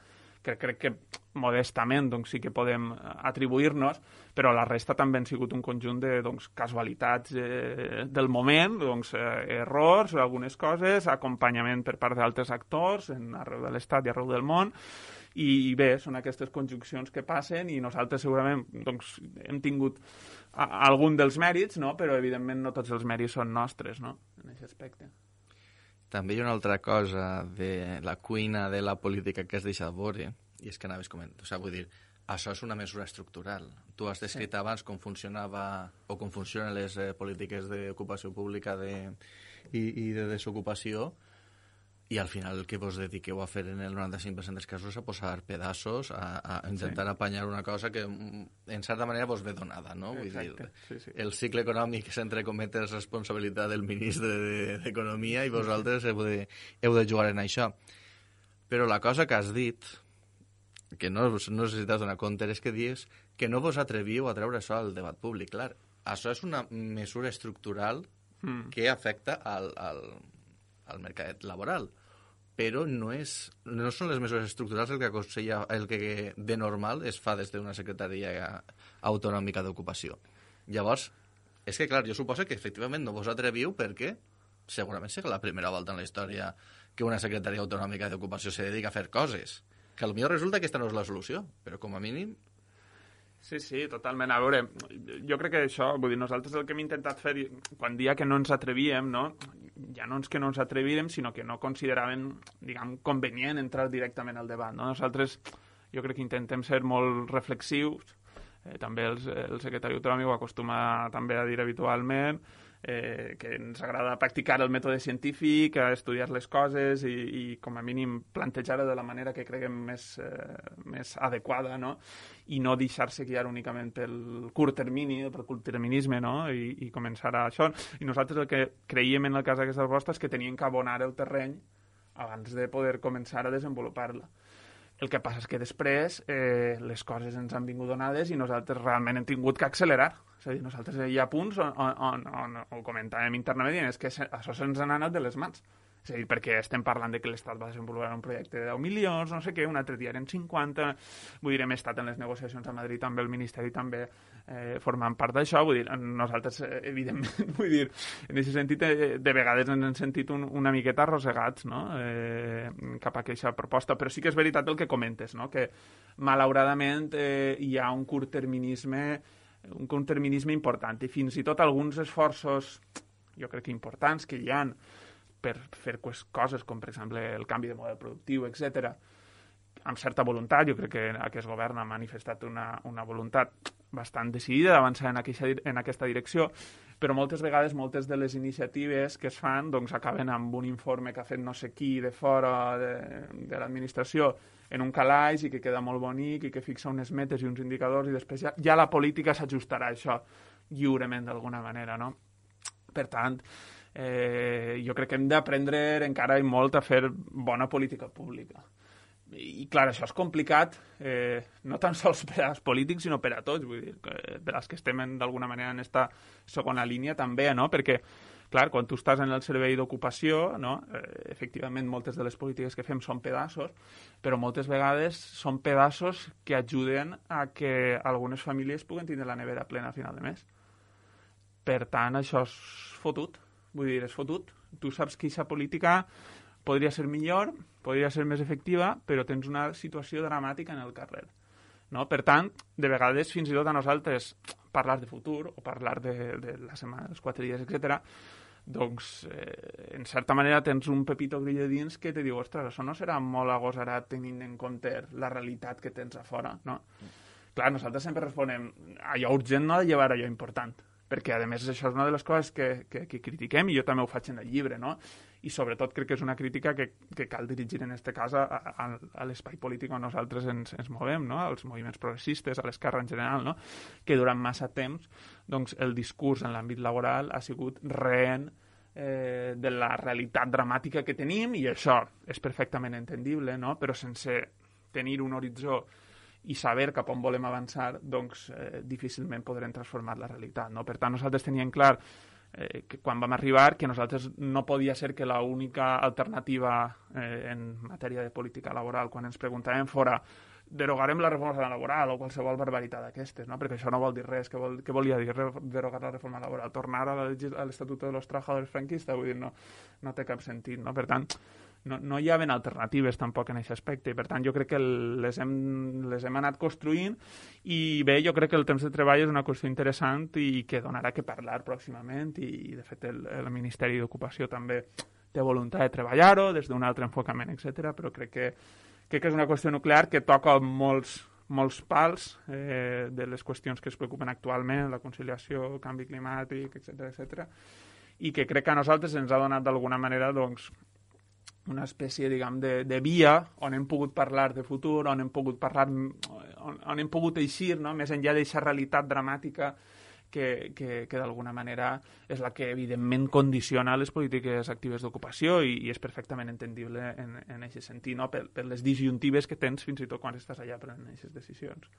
que crec que modestament doncs, sí que podem atribuir-nos, però la resta també han sigut un conjunt de doncs, casualitats eh, del moment, doncs, eh, errors, algunes coses, acompanyament per part d'altres actors en, arreu de l'Estat i arreu del món, i bé, són aquestes conjuncions que passen i nosaltres segurament doncs, hem tingut a, a algun dels mèrits, no? Però evidentment no tots els mèrits són nostres, no? En aquest aspecte. També hi ha una altra cosa de la cuina de la política que has deixat veure, i és que anaves comentant, o sigui, vull dir, això és una mesura estructural. Tu has descrit sí. abans com funcionava o com funcionen les eh, polítiques d'ocupació pública de, i, i de desocupació, i al final el que vos dediqueu a fer en el noranta-cinc per cent dels casos és a posar pedaços, a, a intentar sí. apanyar una cosa que en certa manera vos ve donada, no? Vull Exacte. dir, sí, sí. el cicle econòmic és, entre cometes, responsabilitat del ministre d'Economia i vosaltres heu de, heu de jugar en això. Però la cosa que has dit, que no, no necessites donar compte, és que dius que no vos atreviu a treure això al debat públic. Clar, això és una mesura estructural mm. que afecta al, al, al mercat laboral, però no, és, no són les mesures estructurals el que aconsella, el que de normal es fa des d'una secretaria autonòmica d'ocupació. Llavors, és que clar, jo suposo que efectivament no vos atreviu perquè segurament serà la primera volta en la història que una secretaria autonòmica d'ocupació se dedica a fer coses. Que potser resulta que aquesta no és la solució, però com a mínim... Sí, sí, totalment. A veure, jo crec que això, vull dir, nosaltres el que hem intentat fer, quan dia que no ens atrevíem, no? Ja no és que no ens atrevíem, sinó que no consideràvem, diguem, convenient entrar directament al debat, no? Nosaltres, jo crec que intentem ser molt reflexius, eh, també el, el secretari autonòmic ho acostuma també a dir habitualment, eh, que ens agrada practicar el mètode científic, a estudiar les coses i, i com a mínim plantejar-ho de la manera que creguem més, eh, més adequada, no? I no deixar-se guiar únicament pel curt termini, pel curtterminisme, no? I, i començar a això. I nosaltres el que creiem en el cas d'aquesta proposta és que teníem que abonar el terreny abans de poder començar a desenvolupar-la. El que passa és que després eh, les coses ens han vingut donades i nosaltres realment hem tingut que accelerar. És a dir, nosaltres hi ha punts on, on, on, on ho comentàvem internament i és que això se'ns ha anat de les mans. És a dir, perquè estem parlant de que l'Estat va desenvolupar un projecte de deu milions, no sé què, un altre dia eren cinquanta, vull dir, hem estat en les negociacions a Madrid amb el Ministeri també eh, formant part d'això, vull dir, nosaltres, eh, evidentment, vull dir, en aquest sentit, eh, de vegades ens hem sentit un, una miqueta arrossegats, no?, eh, cap a aquesta proposta, però sí que és veritat el que comentes, no?, que malauradament eh, hi ha un curtterminisme, un curtterminisme important, i fins i tot alguns esforços, jo crec que importants, que hi ha per fer coses com, per exemple, el canvi de model productiu, etcètera, amb certa voluntat. Jo crec que aquest govern ha manifestat una, una voluntat bastant decidida d'avançar en, en aquesta direcció, però moltes vegades moltes de les iniciatives que es fan doncs, acaben amb un informe que ha fet no sé qui de fora de, de l'administració en un calaix i que queda molt bonic i que fixa unes metes i uns indicadors i després ja, ja la política s'ajustarà a això lliurement d'alguna manera, no? Per tant, Eh, jo crec que hem d'aprendre encara i molt a fer bona política pública. I, clar, això és complicat, eh, no tan sols per als polítics, sinó per a tots, vull dir, per als que estem d'alguna manera en aquesta segona línia també, no? Perquè, clar, quan tu estàs en el servei d'ocupació, no? eh, efectivament, moltes de les polítiques que fem són pedaços, però moltes vegades són pedaços que ajuden a que algunes famílies puguen tindre la nevera plena a final de mes. Per tant, això és fotut. Vull dir, és fotut. Tu saps que aquesta política podria ser millor, podria ser més efectiva, però tens una situació dramàtica en el carrer. No? Per tant, de vegades, fins i tot a nosaltres, parlar de futur o parlar de, de la setmana, dels quatre dies, etcètera, doncs, eh, en certa manera, tens un pepito grill de dins que te diu, ostres, això no serà molt agosarat tenint en compte la realitat que tens a fora, no? Mm. Clar, nosaltres sempre responem, allò urgent no ha de llevar allò important, perquè, a més, això és una de les coses que, que, que critiquem, i jo també ho faig en el llibre, no? I, sobretot, crec que és una crítica que, que cal dirigir, en aquest cas, a, a, a l'espai polític on nosaltres ens, ens movem, no? Als moviments progressistes, a l'esquerra en general, no? Que durant massa temps, doncs, el discurs en l'àmbit laboral ha sigut rehén eh, de la realitat dramàtica que tenim, i això és perfectament entendible, no? Però sense tenir un horitzó i saber cap on volem avançar, doncs eh, difícilment podrem transformar la realitat, no? Per tant, nosaltres teníem clar eh, que quan vam arribar que nosaltres no podia ser que l'única alternativa eh, en matèria de política laboral, quan ens preguntàvem fora derogarem la reforma laboral o qualsevol barbaritat d'aquestes, no? Perquè això no vol dir res. Què, vol, què volia dir derogar la reforma laboral? Tornar a l'Estatut de los Trabajadores franquista? Vull dir, no, no té cap sentit, no? Per tant, no, no hi havia alternatives tampoc en aquest aspecte, i per tant jo crec que les hem, les hem anat construint, i bé, jo crec que el temps de treball és una qüestió interessant i que donarà que parlar pròximament, i de fet el, el Ministeri d'Ocupació també té voluntat de treballar-ho des d'un altre enfocament, etcètera, però crec que, crec que és una qüestió nuclear que toca molts, molts pals eh, de les qüestions que es preocupen actualment, la conciliació, canvi climàtic, etcètera, etcètera, i que crec que a nosaltres ens ha donat d'alguna manera, doncs, una espècie, diguem, de, de via on hem pogut parlar de futur, on hem pogut parlar, on, on hem pogut eixir, no? Més enllà d'aquesta realitat dramàtica que, que, que d'alguna manera és la que evidentment condiciona les polítiques actives d'ocupació, i, i és perfectament entendible en, en aquest sentit, no? Per, per les disjuntives que tens fins i tot quan estàs allà prenent aquestes decisions.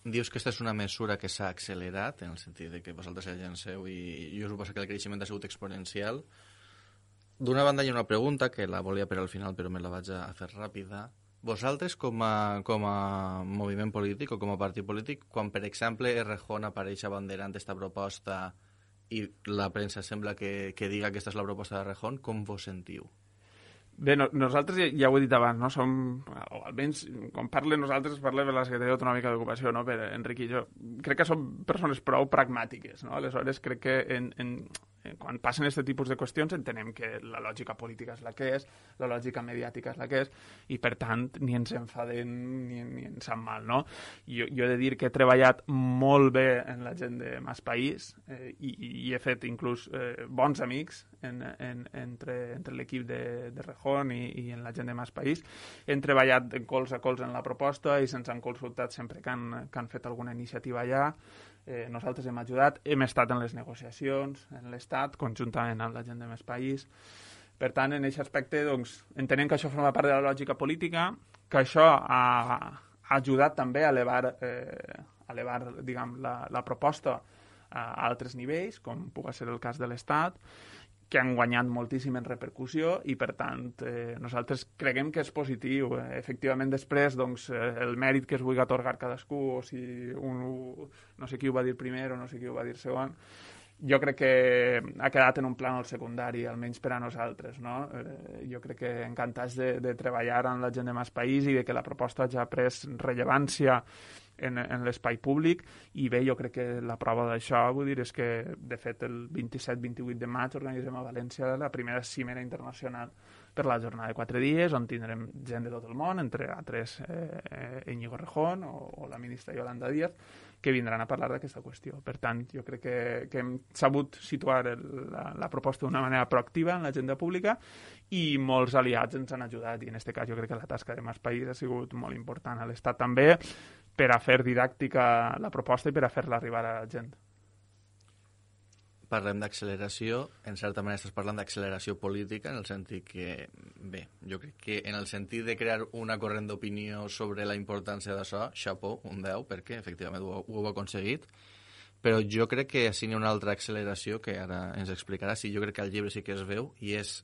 Dius que aquesta és una mesura que s'ha accelerat, en el sentit de que vosaltres ja llanceu i, i us suposo que el creixement ha sigut exponencial. D'una banda hi ha una pregunta que la volia per al final, però me la vaig a fer ràpida. Vosaltres, com a, com a moviment polític o com a partit polític, quan, per exemple, Errejón apareix abanderant aquesta proposta i la premsa sembla que, que diga que aquesta és la proposta d'Errejón, com vos sentiu? Bé, no, nosaltres ja, ja ho he dit abans, no? Som, o almenys, quan parle nosaltres, parle per la Secretaria Autonòmica d'Ocupació, no? Per Enric i jo. Crec que som persones prou pragmàtiques, no? Aleshores, crec que en, en, quan passen aquest tipus de qüestions entenem que la lògica política és la que és, la lògica mediàtica és la que és, i per tant ni ens enfadem ni, ni ens sap mal, no? Jo, jo he de dir que he treballat molt bé en la gent de Mas País, eh, i, i he fet inclús eh, bons amics en, en, entre, entre l'equip de, de Rejón i, i en la gent de Mas País. Hem treballat de cols a cols en la proposta i se'ns han consultat sempre que han, que han fet alguna iniciativa allà. Eh, nosaltres hem ajudat, hem estat en les negociacions, en l'Estat, conjuntament amb la gent de Més País. Per tant, en aquest aspecte, doncs, entenem que això forma part de la lògica política, que això ha, ha ajudat també a elevar, eh, a elevar diguem, la, la proposta a altres nivells, com pugui ser el cas de l'Estat, que han guanyat moltíssim en repercussió, i per tant eh, nosaltres creguem que és positiu. Eh, efectivament, després doncs, eh, el mèrit que es vulgui atorgar cadascú, o si un, no sé qui ho va dir primer o no sé qui ho va dir segon, jo crec que ha quedat en un plànol secundari, almenys per a nosaltres, no? Eh, jo crec que encantats de, de treballar amb la gent de Mas País i de que la proposta ja ha pres rellevància en, en l'espai públic, i bé, jo crec que la prova d'això, vull dir, és que de fet el vint-i-set vint-i-vuit de maig organitzem a València la primera cimera internacional per la jornada de quatre dies, on tindrem gent de tot el món, entre altres eh, Íñigo Errejón o, o la ministra Yolanda Díaz, que vindran a parlar d'aquesta qüestió. Per tant, jo crec que, que hem sabut situar el, la, la proposta d'una manera proactiva en l'agenda pública, i molts aliats ens han ajudat, i en aquest cas jo crec que la tasca de Mas País ha sigut molt important a l'Estat també, per a fer didàctica la proposta i per a fer-la arribar a la gent. Parlem d'acceleració, en certa manera estàs parlant d'acceleració política, en el sentit que, bé, jo crec que en el sentit de crear una corrent d'opinió sobre la importància d'això, xapó, un deu, perquè efectivament ho, ho heu aconseguit, però jo crec que així hi ha una altra acceleració que ara ens explicarà. Sí, jo crec que al llibre sí que es veu, i és,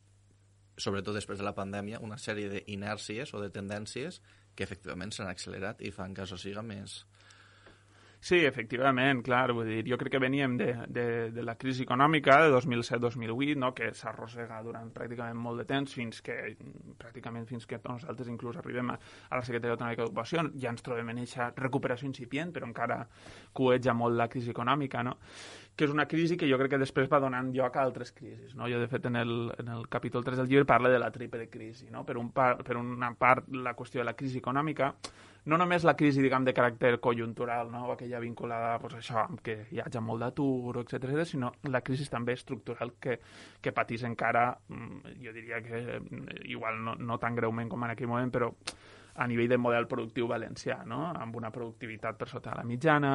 sobretot després de la pandèmia, una sèrie d'inèrcies o de tendències que efectivament s'han accelerat i fan que això siga més... Sí, efectivament, clar, vull dir, jo crec que veníem de, de, de la crisi econòmica de dos mil set dos mil vuit, no?, que s'arrossega durant pràcticament molt de temps, fins que, pràcticament fins que nosaltres inclús arribem a, a la Secretaria Autonòmica d'Ocupació, ja ens trobem en aquesta recuperació incipient, però encara cueja molt la crisi econòmica, no?, que és una crisi que jo crec que després va donant lloc a altres crisis, no? Jo, de fet, en el, en el capítol tres del llibre parla de la triple crisi, no? Per, un par, per una part, la qüestió de la crisi econòmica, no només la crisi, diguem, de caràcter conjuntural, no?, aquella vinculada, pues, això, amb que hi hagi molt d'atur, etcètera, sinó la crisi també estructural que, que patís encara, jo diria que igual no, no tan greument com en aquell moment, però a nivell del model productiu valencià, no?, amb una productivitat per sota de la mitjana,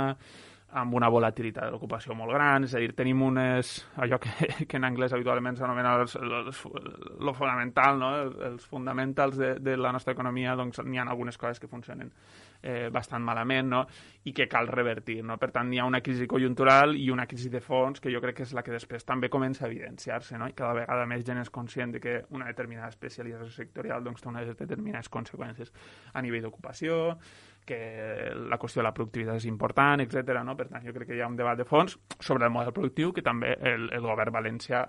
amb una volatilitat de l'ocupació molt gran, és a dir, tenim unes, allò que, que en anglès habitualment s'anomena el fonamental, no? Els fonamentals de, de la nostra economia, doncs n'hi ha algunes coses que funcionen eh, bastant malament, no? I que cal revertir, no? Per tant, hi ha una crisi conjuntural i una crisi de fons que jo crec que és la que després també comença a evidenciar-se, no? I cada vegada més gent és conscient de que una determinada especialització sectorial doncs, té unes determinades conseqüències a nivell d'ocupació, que la qüestió de la productivitat és important, etcètera. No? Per tant, jo crec que hi ha un debat de fons sobre el model productiu que també el, el govern valencià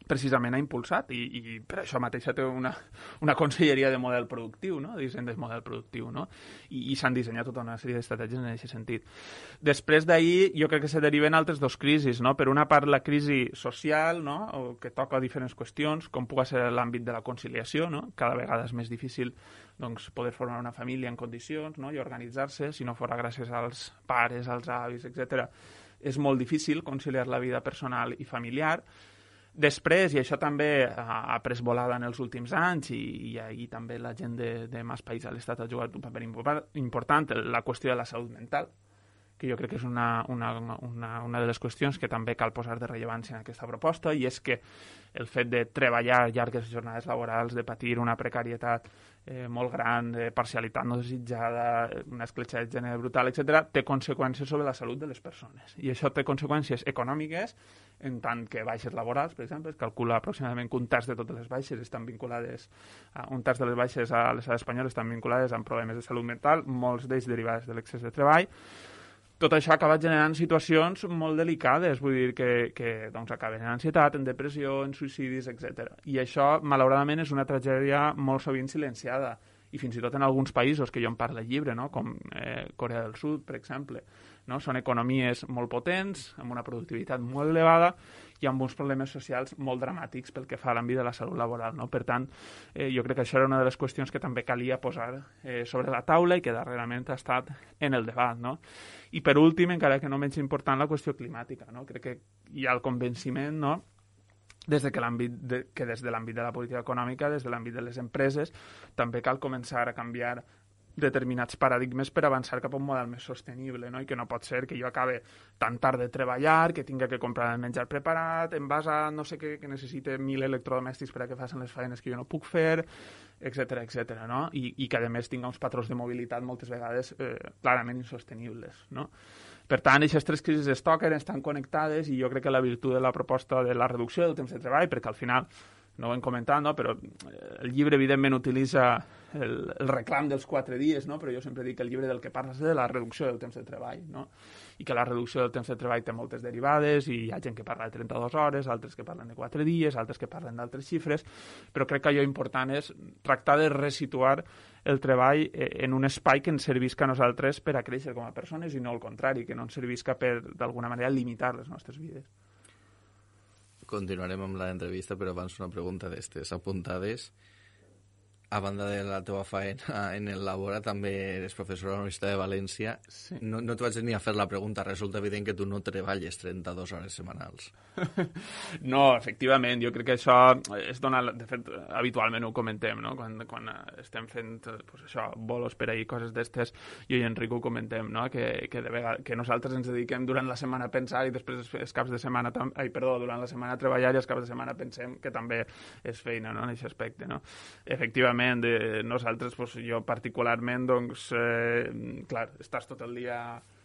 precisament ha impulsat i, i per això mateixa té una, una conselleria de model productiu, no? De disseny de model productiu, no? I, i s'han dissenyat tota una sèrie d'estratègies en aquest sentit. Després d'ahir jo crec que se deriven altres dos crisis, no? Per una part la crisi social, no? O que toca diferents qüestions, com pugui ser l'àmbit de la conciliació, no? Cada vegada és més difícil doncs, poder formar una família en condicions, no? I organitzar-se, si no fora gràcies als pares, als avis, etcètera. És molt difícil conciliar la vida personal i familiar. Després, i això també ha pres volada en els últims anys, i, i ahir també la gent de, de Mas País a l'Estat ha jugat un paper important, la qüestió de la salut mental, que jo crec que és una, una, una, una de les qüestions que també cal posar de rellevància en aquesta proposta, i és que el fet de treballar llargues jornades laborals, de patir una precarietat eh, molt gran, de parcialitat no desitjada, una escletxa de gènere brutal, etcètera, té conseqüències sobre la salut de les persones. I això té conseqüències econòmiques, en tant que baixes laborals, per exemple, es calcula aproximadament que un terç de totes les baixes estan vinculades, a, un terç de les baixes a l'estat espanyol estan vinculades amb problemes de salut mental, molts d'ells derivats de l'excés de treball. Tot això acaba generant situacions molt delicades, vull dir que, que doncs, acaben en ansietat, en depressió, en suïcidis, etcètera. I això, malauradament, és una tragèdia molt sovint silenciada, i fins i tot en alguns països que jo en parlo al llibre, no? Com eh, Corea del Sud, per exemple. No? Són economies molt potents, amb una productivitat molt elevada i amb uns problemes socials molt dramàtics pel que fa a l'àmbit de la salut laboral. No? Per tant, eh, jo crec que això era una de les qüestions que també calia posar eh, sobre la taula i que darrerament ha estat en el debat. No? I per últim, encara que no menys important, la qüestió climàtica. No? Crec que hi ha el convenciment, no? des de que, l'àmbit de, que des de l'àmbit de la política econòmica, des de l'àmbit de les empreses, també cal començar a canviar determinats paradigmes per avançar cap a un model més sostenible, no? I que no pot ser que jo acabe tan tard de treballar, que tinga que comprar el menjar preparat, envasat, no sé què, que necessite mil electrodomèstics per a que facin les feines que jo no puc fer, etcètera, etcètera, no? I, i que a més tinga uns patrons de mobilitat moltes vegades eh, clarament insostenibles, no? Per tant, aquestes tres crisis es toquen, estan connectades, i jo crec que la virtut de la proposta de la reducció del temps de treball, perquè al final, no ho hem comentat, no? Però el llibre evidentment utilitza el, el reclam dels quatre dies, no? Però jo sempre dic que el llibre del que parla és de la reducció del temps de treball, no? I que la reducció del temps de treball té moltes derivades, i hi ha gent que parla de trenta-dues hores, altres que parlen de quatre dies, altres que parlen d'altres xifres, però crec que allò important és tractar de resituar el treball en un espai que ens servisca a nosaltres per a créixer com a persones, i no al contrari, que no ens servisca per, d'alguna manera, limitar les nostres vides. Continuarem amb l'entrevista, però abans una pregunta d'estes apuntades. A banda de la teva feina en el Labora, també eres professor a la Universitat de València. Sí. No, no t'ho vaig ni a fer la pregunta. Resulta evident que tu no treballes trenta-dues hores setmanals. No, efectivament. Jo crec que això es dona... De fet, habitualment ho comentem, no? Quan, quan estem fent pues això, bolos per ahir, coses d'estes, jo i Enric ho comentem, no? Que, que, de vegades, que nosaltres ens dediquem durant la setmana a pensar i després els caps de setmana... Tam... Ai, perdó, durant la setmana a treballar i els caps de setmana pensem que també és feina, no? En aquest aspecte, no? Efectivament, de nosaltres, doncs, jo particularment, doncs, eh, clar, estàs tot el dia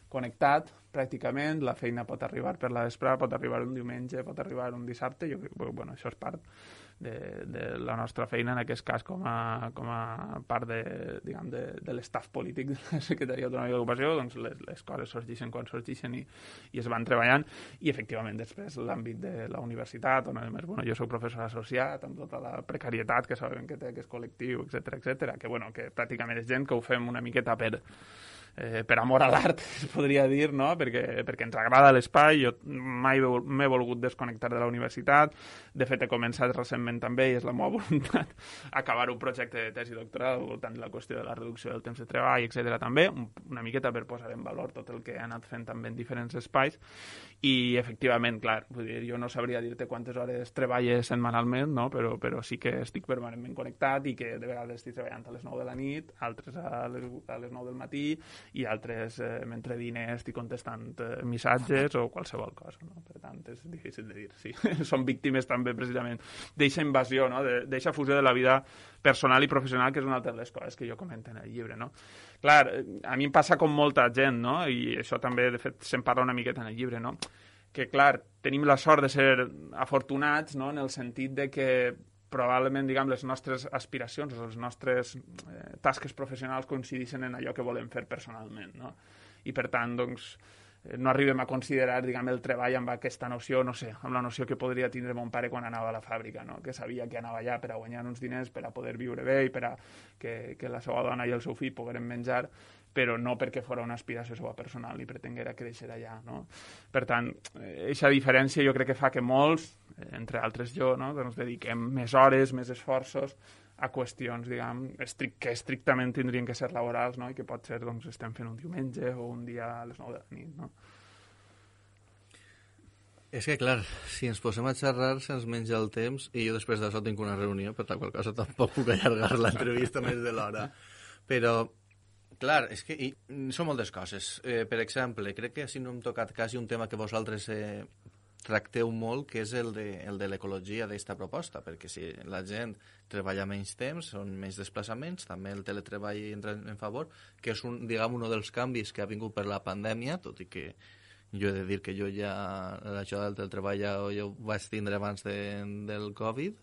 connectat, pràcticament, la feina pot arribar per la vesprada, pot arribar un diumenge, pot arribar un dissabte, jo crec que, bueno, això és part de, de la nostra feina, en aquest cas, com a, com a part de, diguem, de, de l'estaf polític de la Secretaria Autonòmica d'Ocupació, doncs les, les coses sorgeixen quan sorgeixen i, i es van treballant, i efectivament després l'àmbit de la universitat, on a més, bueno, jo soc professor associat, amb tota la precarietat que sabem que té aquest col·lectiu, etcètera, etcètera, que, bueno, que pràcticament és gent que ho fem una miqueta per Eh, per amor a l'art, es podria dir, no? Perquè, perquè ens agrada l'espai. Jo mai m'he volgut desconnectar de la universitat. De fet, he començat recentment també, i és la meva voluntat, acabar un projecte de tesi doctoral al voltant de la qüestió de la reducció del temps de treball, etcètera també, una miqueta per posar en valor tot el que he anat fent també en diferents espais. I, efectivament, clar, vull dir, jo no sabria dir-te quantes hores treballes setmanalment, no? Però, però sí que estic permanentment connectat, i que de vegades estic treballant a les nou de la nit, altres a les, a les nou del matí, i altres, eh, mentre diner, estic contestant eh, missatges o qualsevol cosa, no? Per tant, és difícil de dir, sí. Són víctimes també, precisament, d'eixa invasió, no? D'eixa fusió de la vida personal i professional, que és una altra de les coses que jo comento en el llibre, no? Clar, a mi em passa com molta gent, no? I això també, de fet, se'n parla una miqueta en el llibre, no? Que, clar, tenim la sort de ser afortunats, no? En el sentit de que probablement, diguem, les nostres aspiracions o les nostres eh, tasques professionals coincideixen en allò que volem fer personalment, no? I, per tant, doncs, eh, no arribem a considerar, diguem, el treball amb aquesta noció, no sé, amb la noció que podria tindre mon pare quan anava a la fàbrica, no? Que sabia que anava allà per a guanyar uns diners, per a poder viure bé i per a que, que la seva dona i el seu fill pogueren menjar, però no perquè fos una aspiració seva personal i pretenguera créixer allà, no? Per tant, aquesta diferència jo crec que fa que molts, entre altres jo, no? Doncs dediquem més hores, més esforços a qüestions, diguem, estric que estrictament tindrien que ser laborals, no? I que pot ser, doncs, estem fent un diumenge o un dia a les nou de la nit, no? És que, clar, si ens posem a xerrar se'ns menja el temps i jo després d'això tinc una reunió, per la qual cosa tampoc puc allargar l'entrevista més de l'hora. Però, clar, és que i, són moltes coses. Eh, per exemple, crec que si no hem tocat quasi un tema que vosaltres eh, tracteu molt, que és el de, el de l'ecologia d'esta proposta, perquè si la gent treballa menys temps, són menys desplaçaments, també el teletreball entra en favor, que és, un, diguem, un dels canvis que ha vingut per la pandèmia, tot i que jo he de dir que jo ja, això del teletreball ja, ja ho vaig tindre abans de, del Covid,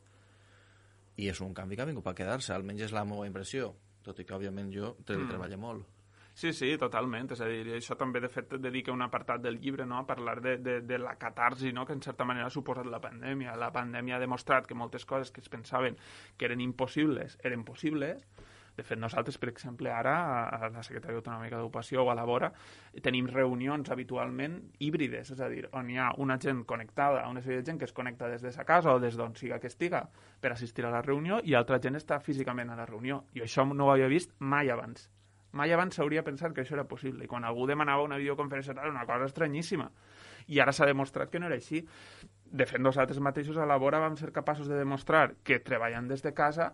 i és un canvi que ha vingut per quedar-se, almenys és la meva impressió, tot i que, òbviament, jo teletreballo mm. molt. Sí, sí, totalment. És a dir, això també, de fet, dedica un apartat del llibre, no?, a parlar de, de, de la catarsi, no?, que en certa manera ha suposat la pandèmia. La pandèmia ha demostrat que moltes coses que es pensaven que eren impossibles eren possibles. De fet, nosaltres, per exemple, ara, a la Secretaria Autonòmica d'Ocupació o a la Vora, tenim reunions habitualment híbrides, és a dir, on hi ha una gent connectada, una sèrie de gent que es connecta des de sa casa o des d'on siga que estiga per assistir a la reunió i altra gent està físicament a la reunió. I això no ho havia vist mai abans. Mai abans s'hauria pensat que això era possible. I quan algú demanava una videoconferència era una cosa estranyíssima. I ara s'ha demostrat que no era així. De fet, nosaltres mateixos a la Vora vam ser capaços de demostrar que treballant des de casa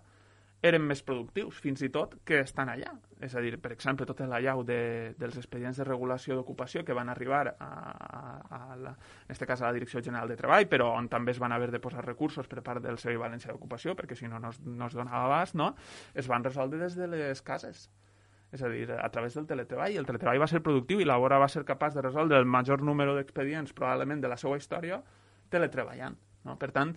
eren més productius, fins i tot, que estan allà. És a dir, per exemple, tota l'allau de, dels expedients de regulació d'ocupació que van arribar a, a, a la, en aquest cas a la Direcció General de Treball, però on també es van haver de posar recursos per part del Servei Valencià d'Ocupació, perquè si no, no es, no es donava abast, no? Es van resoldre des de les cases. És a dir, a través del teletreball. El teletreball va ser productiu i la Vora va ser capaç de resoldre el major número d'expedients, probablement, de la seva història, teletreballant. No? Per tant,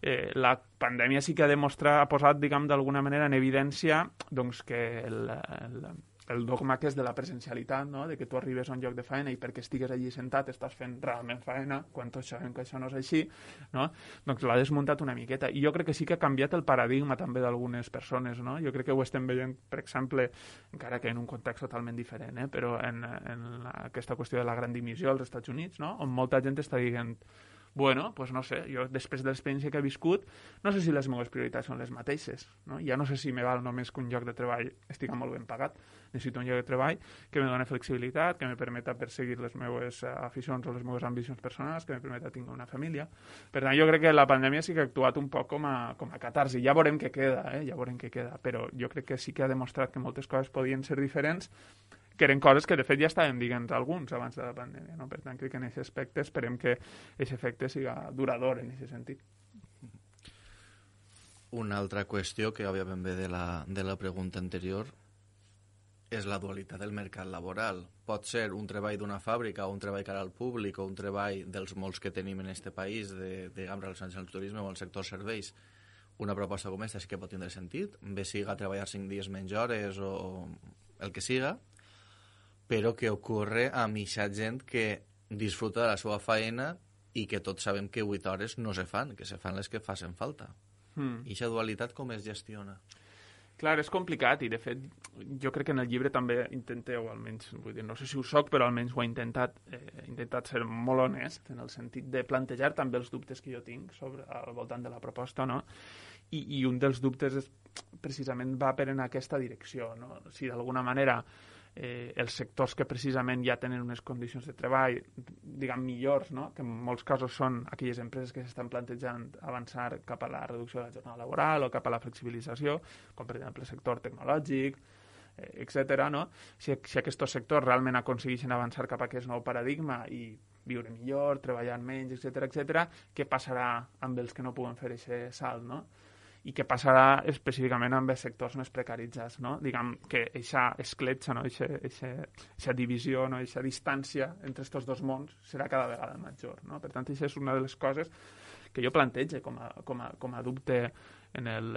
eh, la pandèmia sí que ha demostrat, ha posat, diguem, d'alguna manera en evidència doncs, que el, el, el dogma que és de la presencialitat, no? De que tu arribes a un lloc de feina i perquè estigues allí sentat estàs fent realment feina, quan tots sabem que això no és així, no? Doncs l'ha desmuntat una miqueta. I jo crec que sí que ha canviat el paradigma també d'algunes persones, no? Jo crec que ho estem veient, per exemple, encara que en un context totalment diferent, eh? Però en, en aquesta qüestió de la gran dimissió als Estats Units, no? On molta gent està dient bueno, pues no sé, jo després de l'experiència que he viscut, no sé si les meves prioritats són les mateixes, no? Ja no sé si me val només que un lloc de treball estigui molt ben pagat. Necessito un lloc de treball que me doni flexibilitat, que me permeta perseguir les meves aficions o les meves ambicions personals, que me permeta tenir una família. Per tant, jo crec que la pandèmia sí que ha actuat un poc com a, com a catarsi. Ja veurem què queda, eh? Ja veurem què queda, però jo crec que sí que ha demostrat que moltes coses podien ser diferents, que eren coses que de fet ja estaven dient alguns abans de la pandèmia, no? Per tant, crec que en aquest aspecte esperem que aquest efecte siga durador en aquest sentit. Una altra qüestió que òbviament ve de la, de la pregunta anterior és la dualitat del mercat laboral. Pot ser un treball d'una fàbrica o un treball cara al públic o un treball dels molts que tenim en este país de, diguem, relacionats amb el turisme o el sector serveis. Una proposta com aquesta sí que pot tindre sentit, bé siga treballar cinc dies menys hores o el que siga, però que ocorre a mitja gent que disfruta de la seva feina i que tots sabem que vuit hores no se fan, que se fan les que facin falta. Mm. I aquesta dualitat com es gestiona? Clar, és complicat i, de fet, jo crec que en el llibre també intenteu, almenys, vull dir, no sé si ho soc, però almenys ho he intentat, eh, he intentat ser molt honest en el sentit de plantejar també els dubtes que jo tinc sobre, al voltant de la proposta, no? I, i un dels dubtes és, precisament va per en aquesta direcció, no? Si d'alguna manera eh, els sectors que precisament ja tenen unes condicions de treball, diguem, millors, no? Que en molts casos són aquelles empreses que s'estan plantejant avançar cap a la reducció de la jornada laboral o cap a la flexibilització, com per exemple el sector tecnològic, etcètera, no? Si, si aquests sectors realment aconsegueixen avançar cap a aquest nou paradigma i viure millor, treballar menys, etcètera, etcètera, què passarà amb els que no puguen fer aquest salt, no? I què passarà específicament amb els sectors més precaritzats, no? Diguem que aquesta escletxa, no? Aquesta divisió, no? Aquesta distància entre aquests dos mons serà cada vegada major, no? Per tant, això és una de les coses que jo plantege com a, com a, com a dubte en el,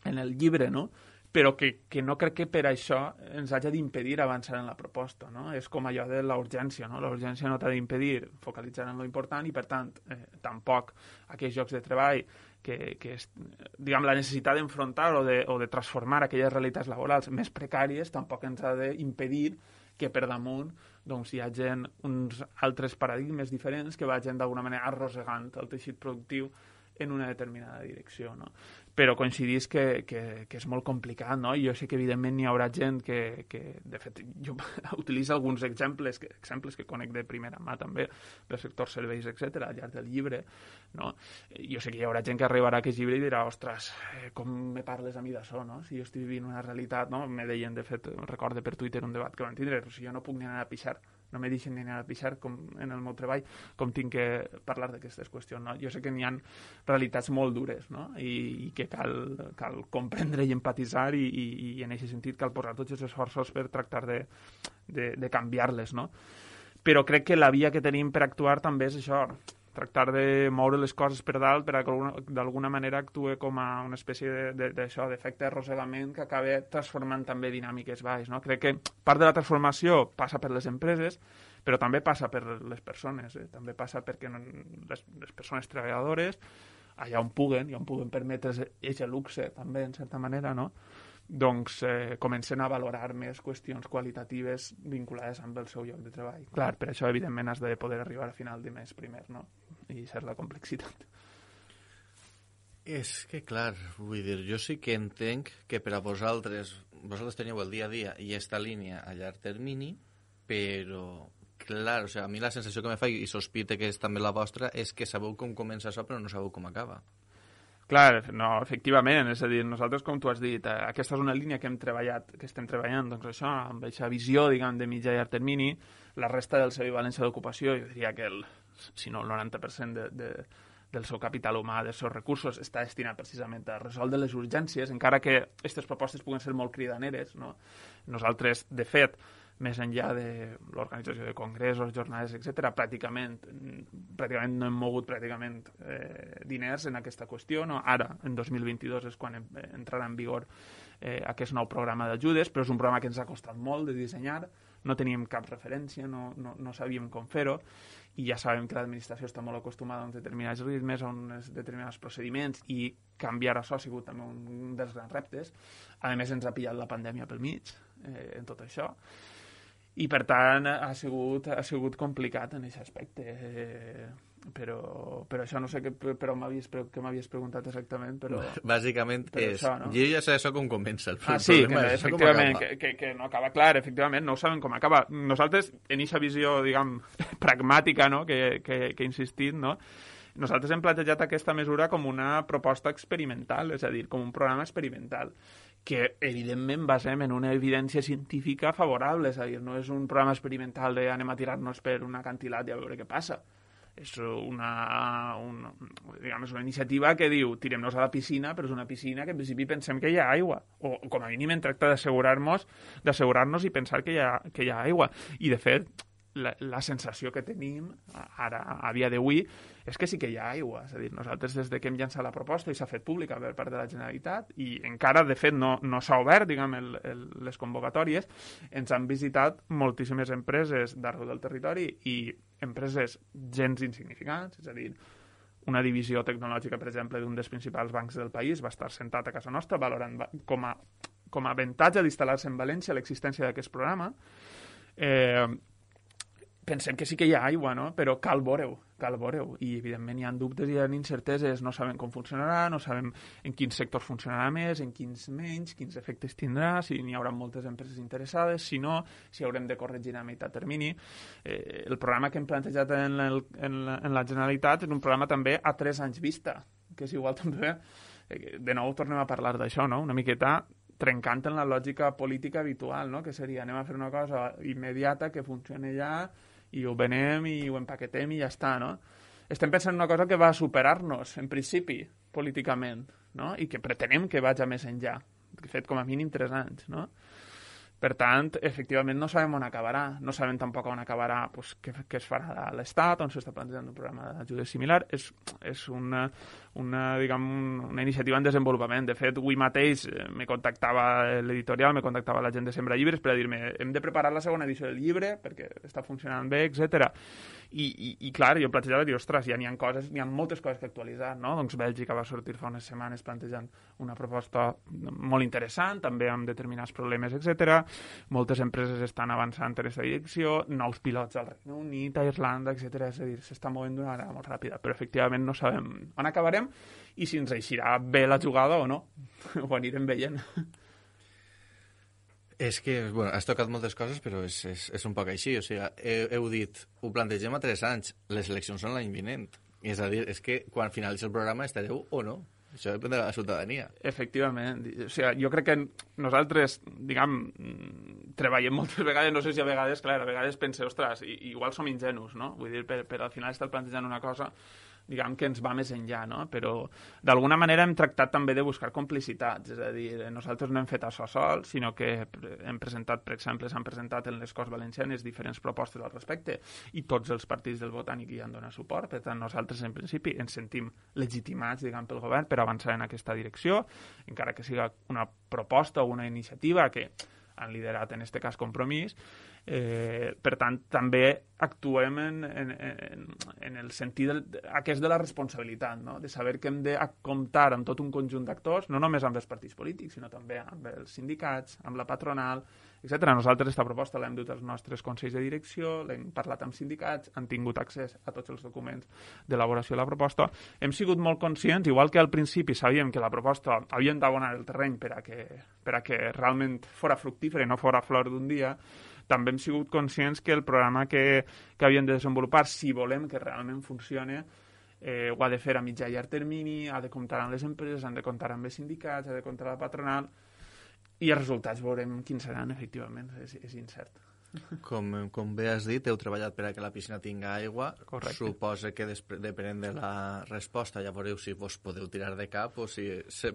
en el llibre, no? Però que, que no crec que per això ens hagi d'impedir avançar en la proposta, no? És com allò de la urgència, no? La urgència no t'ha d'impedir focalitzar en lo important i, per tant, eh, tampoc aquells llocs de treball que, que és, diguem, la necessitat d'enfrontar o de, o de transformar aquelles realitats laborals més precàries tampoc ens ha d'impedir que per damunt doncs, hi hagi uns altres paradigmes diferents que vagin d'alguna manera arrossegant el teixit productiu en una determinada direcció, no? Però coincidís que, que, que és molt complicat, no? Jo sé que evidentment hi haurà gent que, que de fet, jo utilitzo alguns exemples que, exemples que conec de primera mà també, del sector serveis, etcètera, al llarg del llibre, no? Jo sé que hi haurà gent que arribarà a aquest llibre i dirà, ostres, eh, com me parles a mi d'això, no? Si jo estic vivint una realitat, no? Me deien, de fet, recorde per Twitter un debat que van tindre, però si jo no puc ni anar a pixar, no me deixen ni anar a pixar com en el meu treball, com tinc que parlar d'aquestes qüestions, no? Jo sé que n'hi ha realitats molt dures, no? I, i que cal, cal comprendre i empatitzar i, i, i en aquest sentit cal posar tots els esforços per tractar de, de, de canviar-les, no? Però crec que la via que tenim per actuar també és això, tractar de moure les coses per dalt per a que d'alguna manera actue com a una espècie d'això, d'efecte arrossegament que acaba transformant també dinàmiques baix, no? Crec que part de la transformació passa per les empreses, però també passa per les persones, eh? També passa perquè les, les persones treballadores, allà on puguen, i on puguen permetre's aquest luxe també, en certa manera, no? Doncs eh, comencen a valorar més qüestions qualitatives vinculades amb el seu lloc de treball. Clar, per això, evidentment, has de poder arribar a final de mes primer, no? I ser la complexitat. És que, clar, vull dir, jo sí que entenc que per a vosaltres, vosaltres teniu el dia a dia i aquesta línia a llarg termini, però, clar, o sigui, a mi la sensació que me fa, i sospite que és també la vostra, és que sabeu com comença això, però no sabeu com acaba. Clar, no, efectivament, és a dir, nosaltres, com tu has dit, eh, aquesta és una línia que hem treballat, que estem treballant, doncs això, amb aquesta visió, diguem, de mitjà i llarg termini, la resta del seu València d'ocupació, jo diria que el, si no el noranta per cent de, de, del seu capital humà, dels seus recursos, està destinat precisament a resoldre les urgències, encara que aquestes propostes puguen ser molt cridaneres, no? Nosaltres, de fet, més enllà de l'organització de congressos, jornades, etcètera, pràcticament, pràcticament no hem mogut pràcticament eh, diners en aquesta qüestió, no? Ara, en dos mil vint-i-dos, és quan entrarà en vigor eh, aquest nou programa d'ajudes, però és un programa que ens ha costat molt de dissenyar, no teníem cap referència, no, no, no sabíem com fer-ho, i ja sabem que l'administració està molt acostumada a uns determinats ritmes, a uns determinats procediments, i canviar això ha sigut també un dels grans reptes. A més, ens ha pillat la pandèmia pel mig, eh, en tot això, i per tant ha sigut, ha sigut complicat en aquest aspecte, eh, però, però això no sé què, però m'havies, què m'havies preguntat exactament, però... Bàsicament però és, això, no? jo ja sé això com comença el, ah, el sí, problema que, és efectivament, que, que, que no acaba clar, efectivament, no ho sabem com acaba. Nosaltres, en aquesta visió, diguem, pragmàtica, no?, que, que, que he insistit, no?, nosaltres hem plantejat aquesta mesura com una proposta experimental, és a dir, com un programa experimental, que evidentment basem en una evidència científica favorable, és a dir, no és un programa experimental de anem a tirar-nos per un acantilat i a veure què passa. És una, una, diguem, és una iniciativa que diu tirem-nos a la piscina, però és una piscina que en principi pensem que hi ha aigua, o com a mínim en tracta d'assegurar-nos d'assegurar-nos i pensar que hi ha, que hi ha aigua. I de fet, La, la sensació que tenim ara, a dia d'avui, és que sí que hi ha aigua. És a dir, nosaltres des de que hem llançat la proposta i s'ha fet pública per part de la Generalitat i encara, de fet, no, no s'ha obert, diguem, el, el, les convocatòries, ens han visitat moltíssimes empreses d'arreu del territori i empreses gens insignificants, és a dir, una divisió tecnològica, per exemple, d'un dels principals bancs del país va estar sentat a casa nostra valorant com a, com a avantatge d'instal·lar-se en València l'existència d'aquest programa. Eh, pensem que sí que hi ha aigua, no? Però cal veure-ho, cal veure-ho. I, evidentment, hi ha dubtes i hi ha incerteses. No sabem com funcionarà, no sabem en quins sectors funcionarà més, en quins menys, quins efectes tindrà, si n'hi haurà moltes empreses interessades, si no, si haurem de corregir a meitat termini. Eh, el programa que hem plantejat en, el, en, la, en la Generalitat és un programa també a tres anys vista, que és igual també... Eh, de nou tornem a parlar d'això, no? Una miqueta trencant en la lògica política habitual, no? Que seria anem a fer una cosa immediata que funcioni ja i ho venem i ho empaquetem i ja està, no? Estem pensant en una cosa que va superar-nos, en principi, políticament, no? I que pretenem que vagi més enllà. De fet, com a mínim, tres anys, no? Per tant, efectivament, no sabem on acabarà. No sabem tampoc on acabarà pues, què, què es farà a l'Estat, on s'està plantejant un programa d'ajuda similar. És, és una, una, diguem, una iniciativa en desenvolupament. De fet, avui mateix me contactava l'editorial, me contactava la gent de Sembra Llibres per a dir-me hem de preparar la segona edició del llibre perquè està funcionant bé, etcètera. I, i, i clar, jo plantejava i dir, ostres, ja n'hi ha coses, n'hi ha moltes coses que actualitzar, no? Doncs Bèlgica va sortir fa unes setmanes plantejant una proposta molt interessant, també amb determinats problemes, etcètera. Moltes empreses estan avançant en aquesta direcció, nous pilots al Regne Unit, a Irlanda, etcètera. És a dir, s'està movent d'una manera molt ràpida, però efectivament no sabem on acabarem i si ens eixirà bé la jugada o no. Ho anirem veient. És que, bueno, has tocat moltes coses, però és, és, és un poc així. O sigui, heu, heu dit, ho plantegem a tres anys, les eleccions són l'any vinent. És a dir, és que quan finalitzi el programa estareu o no. Això depèn de la ciutadania. Efectivament. O sigui, jo crec que nosaltres, diguem, treballem moltes vegades, no sé si a vegades, clar, a vegades pense, ostres, igual som ingenus, no? Vull dir, per, per al final estar plantejant una cosa diguem que ens va més enllà, no? Però d'alguna manera hem tractat també de buscar complicitats, és a dir, nosaltres no hem fet això sols, sinó que hem presentat, per exemple, s'han presentat en les Corts Valencianes diferents propostes al respecte i tots els partits del Botànic hi han donat suport, per tant nosaltres en principi ens sentim legitimats, diguem, pel govern per avançar en aquesta direcció, encara que siga una proposta o una iniciativa que han liderat en aquest cas Compromís. Eh, per tant, també actuem en, en, en, en el sentit del, aquest de la responsabilitat, no? De saber que hem de comptar amb tot un conjunt d'actors, no només amb els partits polítics, sinó també amb els sindicats, amb la patronal, etcètera. Nosaltres aquesta proposta l'hem dut als nostres consells de direcció, l'hem parlat amb sindicats, han tingut accés a tots els documents d'elaboració de la proposta. Hem sigut molt conscients, igual que al principi sabíem que la proposta havíem d'abonar el terreny per a que, per a que realment fora fructífera i no fora flor d'un dia, també hem sigut conscients que el programa que, que havíem de desenvolupar, si volem que realment funcione, eh, ho ha de fer a mitjà i llarg termini, ha de comptar amb les empreses, han de comptar amb els sindicats, ha de comptar amb la patronal, i els resultats veurem quins seran, efectivament, és, és incert. Com, com bé has dit, heu treballat per a que la piscina tinga aigua. Correcte. Suposa que depenent de la resposta ja veureu si vos podeu tirar de cap o si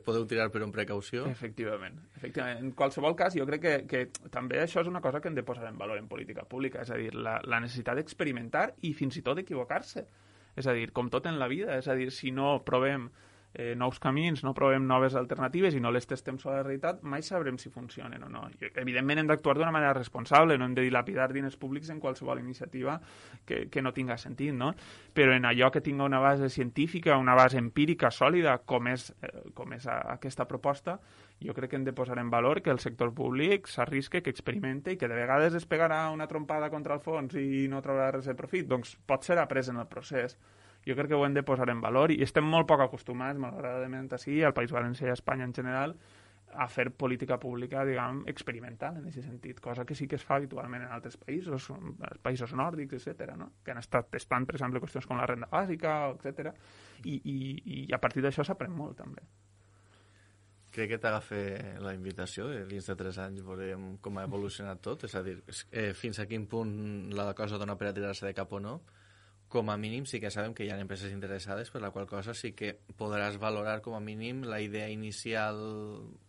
podeu tirar per una precaució. Efectivament. Efectivament. En qualsevol cas, jo crec que, que també això és una cosa que hem de posar en valor en política pública, és a dir, la, la necessitat d'experimentar i fins i tot d'equivocar-se. És a dir, com tot en la vida, és a dir, si no provem Eh, nous camins, no provem noves alternatives i no les testem sobre la realitat, mai sabrem si funcionen o no. I, evidentment hem d'actuar d'una manera responsable, no hem de dilapidar diners públics en qualsevol iniciativa que, que no tinga sentit, no? Però en allò que tinga una base científica, una base empírica sòlida, com és, eh, com és a, aquesta proposta, jo crec que hem de posar en valor que el sector públic s'arrisque, que experimente i que de vegades es pegarà una trompada contra el fons i no trobarà res de profit. Doncs pot ser après en el procés. Jo crec que ho hem de posar en valor i estem molt poc acostumats, malauradament, així, al País Valencià i a Espanya en general, a fer política pública, diguem, experimental en aquest sentit, cosa que sí que es fa habitualment en altres països, els països nòrdics, etcètera, no? Que han estat testant, per exemple, qüestions com la renda bàsica, etcètera, i, i, i a partir d'això s'aprèn molt, també. Crec que t'agafa la invitació de dins de tres anys veurem com ha evolucionat tot, és a dir, eh, fins a quin punt la cosa dona per a tirar-se de cap o no. Com a mínim sí que sabem que hi ha empreses interessades, per la qual cosa sí que podràs valorar com a mínim la idea inicial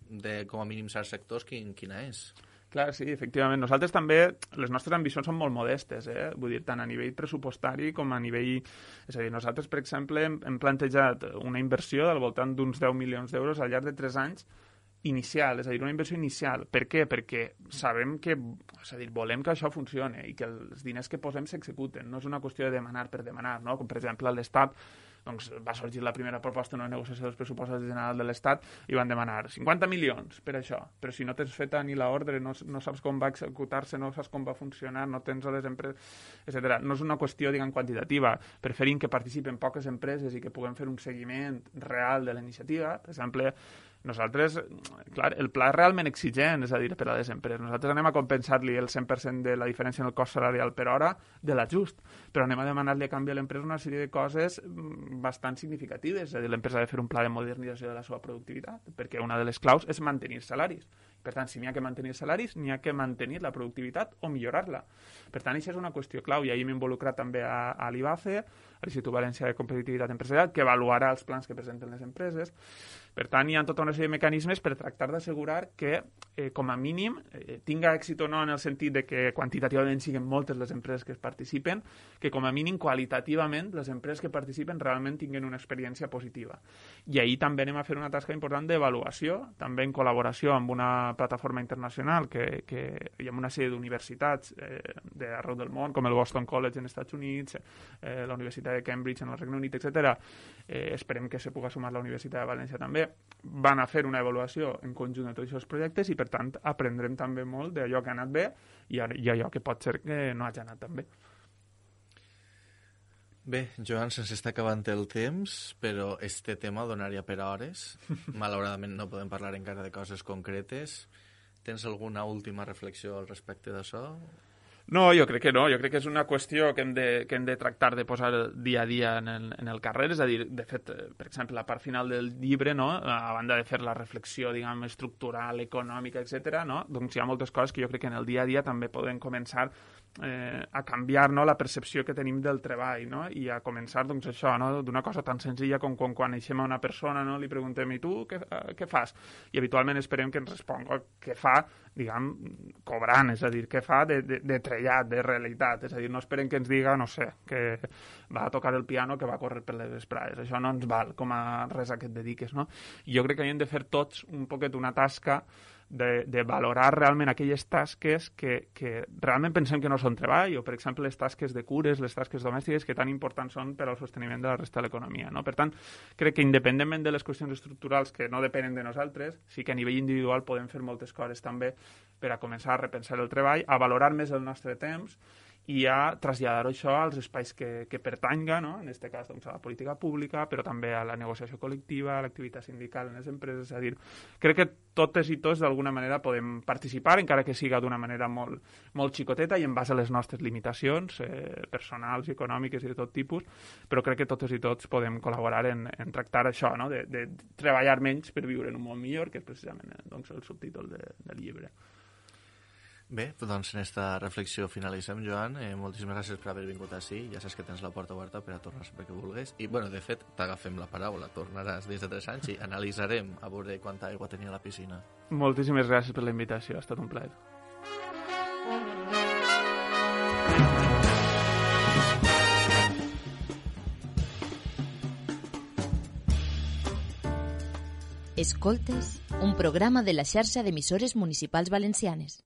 de com a mínim certs sectors quin, quina és. Clar, sí, efectivament. Nosaltres també, les nostres ambicions són molt modestes, eh? Vull dir, tant a nivell pressupostari com a nivell... És a dir, nosaltres, per exemple, hem, hem plantejat una inversió del voltant d'uns deu milions d'euros al llarg de tres anys inicial, és a dir, una inversió inicial. Per què? Perquè sabem que, és a dir, volem que això funcione i que els diners que posem s'executen. No és una qüestió de demanar per demanar, no? Com, per exemple, a l'Estat doncs, va sorgir la primera proposta en una negociació dels pressupostos generals de l'Estat i van demanar cinquanta milions per això. Però si no tens feta ni l'ordre, no, no saps com va executar-se, no saps com va funcionar, no tens les empreses, etcètera. No és una qüestió, diguem, quantitativa. Preferim que participen poques empreses i que puguem fer un seguiment real de la iniciativa. Per exemple, nosaltres, clar, el pla és realment exigent, és a dir, per a les empreses. Nosaltres anem a compensar-li el cent per cent de la diferència en el cost salarial per hora de l'ajust, però anem a demanar-li a canvi a l'empresa una sèrie de coses bastant significatives. És a dir, l'empresa ha de fer un pla de modernització de la seva productivitat, perquè una de les claus és mantenir salaris. Per tant, si n'hi ha que mantenir salaris, n'hi ha que mantenir la productivitat o millorar-la. Per tant, això és una qüestió clau, i ahir m'he involucrat també a, a l'I B A C E, a l'Institut Valencià de Competitivitat Empresarial, que avaluarà els plans que presenten les empreses. Per tant, hi ha tota una sèrie de mecanismes per tractar d'assegurar que, eh, com a mínim, eh, tinga èxit o no en el sentit de que quantitativament siguin moltes les empreses que es participen, que com a mínim qualitativament les empreses que participen realment tinguin una experiència positiva. I ahir també anem a fer una tasca important d'avaluació, també en col·laboració amb una plataforma internacional que, que hi ha una sèrie d'universitats eh, d'arreu del món, com el Boston College en Estats Units, eh, la Universitat de Cambridge en el Regne Unit, etcètera. Eh, esperem que se pugui sumar la Universitat de València també. Van a fer una avaluació en conjunt de tots aquests projectes i, per tant, aprendrem també molt d'allò que ha anat bé i allò que pot ser que no hagi anat tan bé. Bé, Joan, se'ns està acabant el temps, però este tema donaria per a hores. Malauradament no podem parlar encara de coses concretes. Tens alguna última reflexió al respecte d'això? No, jo crec que no. Jo crec que és una qüestió que hem de, que hem de tractar de posar dia a dia en el, en el carrer. És a dir, de fet, per exemple, la part final del llibre, no? A banda de fer la reflexió, diguem, estructural, econòmica, etcètera, no? Doncs hi ha moltes coses que jo crec que en el dia a dia també podem començar eh, a canviar, no? La percepció que tenim del treball, no? I a començar, doncs, això, no? D'una cosa tan senzilla com quan coneixem a una persona, no? Li preguntem, i tu què, eh, què fas? I habitualment esperem que ens responga què fa, diguem, cobrant, és a dir, què fa de, de, de trellat, de realitat, és a dir, no esperem que ens diga, no sé, que va a tocar el piano, que va a córrer per les vesprades, això no ens val com a res a què et dediques, no? I jo crec que hem de fer tots un poquet una tasca de, de valorar realment aquelles tasques que, que realment pensem que no són treball, o per exemple les tasques de cures, les tasques domèstiques que tan importants són per al sosteniment de la resta de l'economia, no? Per tant, crec que independentment de les qüestions estructurals que no depenen de nosaltres, sí que a nivell individual podem fer moltes coses també per a començar a repensar el treball, a valorar més el nostre temps i a traslladar això als espais que, que pertanga, no? En aquest cas doncs, a la política pública, però també a la negociació col·lectiva, a l'activitat sindical en les empreses. És a dir, crec que totes i tots d'alguna manera podem participar, encara que siga d'una manera molt, molt xicoteta i en base a les nostres limitacions eh, personals i econòmiques i de tot tipus, però crec que totes i tots podem col·laborar en, en tractar això, no? de, de treballar menys per viure en un món millor, que és precisament doncs, el subtítol de, del llibre. Bé, doncs en esta reflexió finalitzem, Joan. Eh, moltíssimes gràcies per haver vingut així. Ja saps que tens la porta oberta per a tornar sempre que vulguis. I, bueno, de fet, t'agafem la paraula. Tornaràs dins de tres anys i analitzarem a veure quanta aigua tenia a la piscina. Moltíssimes gràcies per la invitació. Ha estat un plaer. Escoltes, un programa de la xarxa d'emissores municipals valencianes.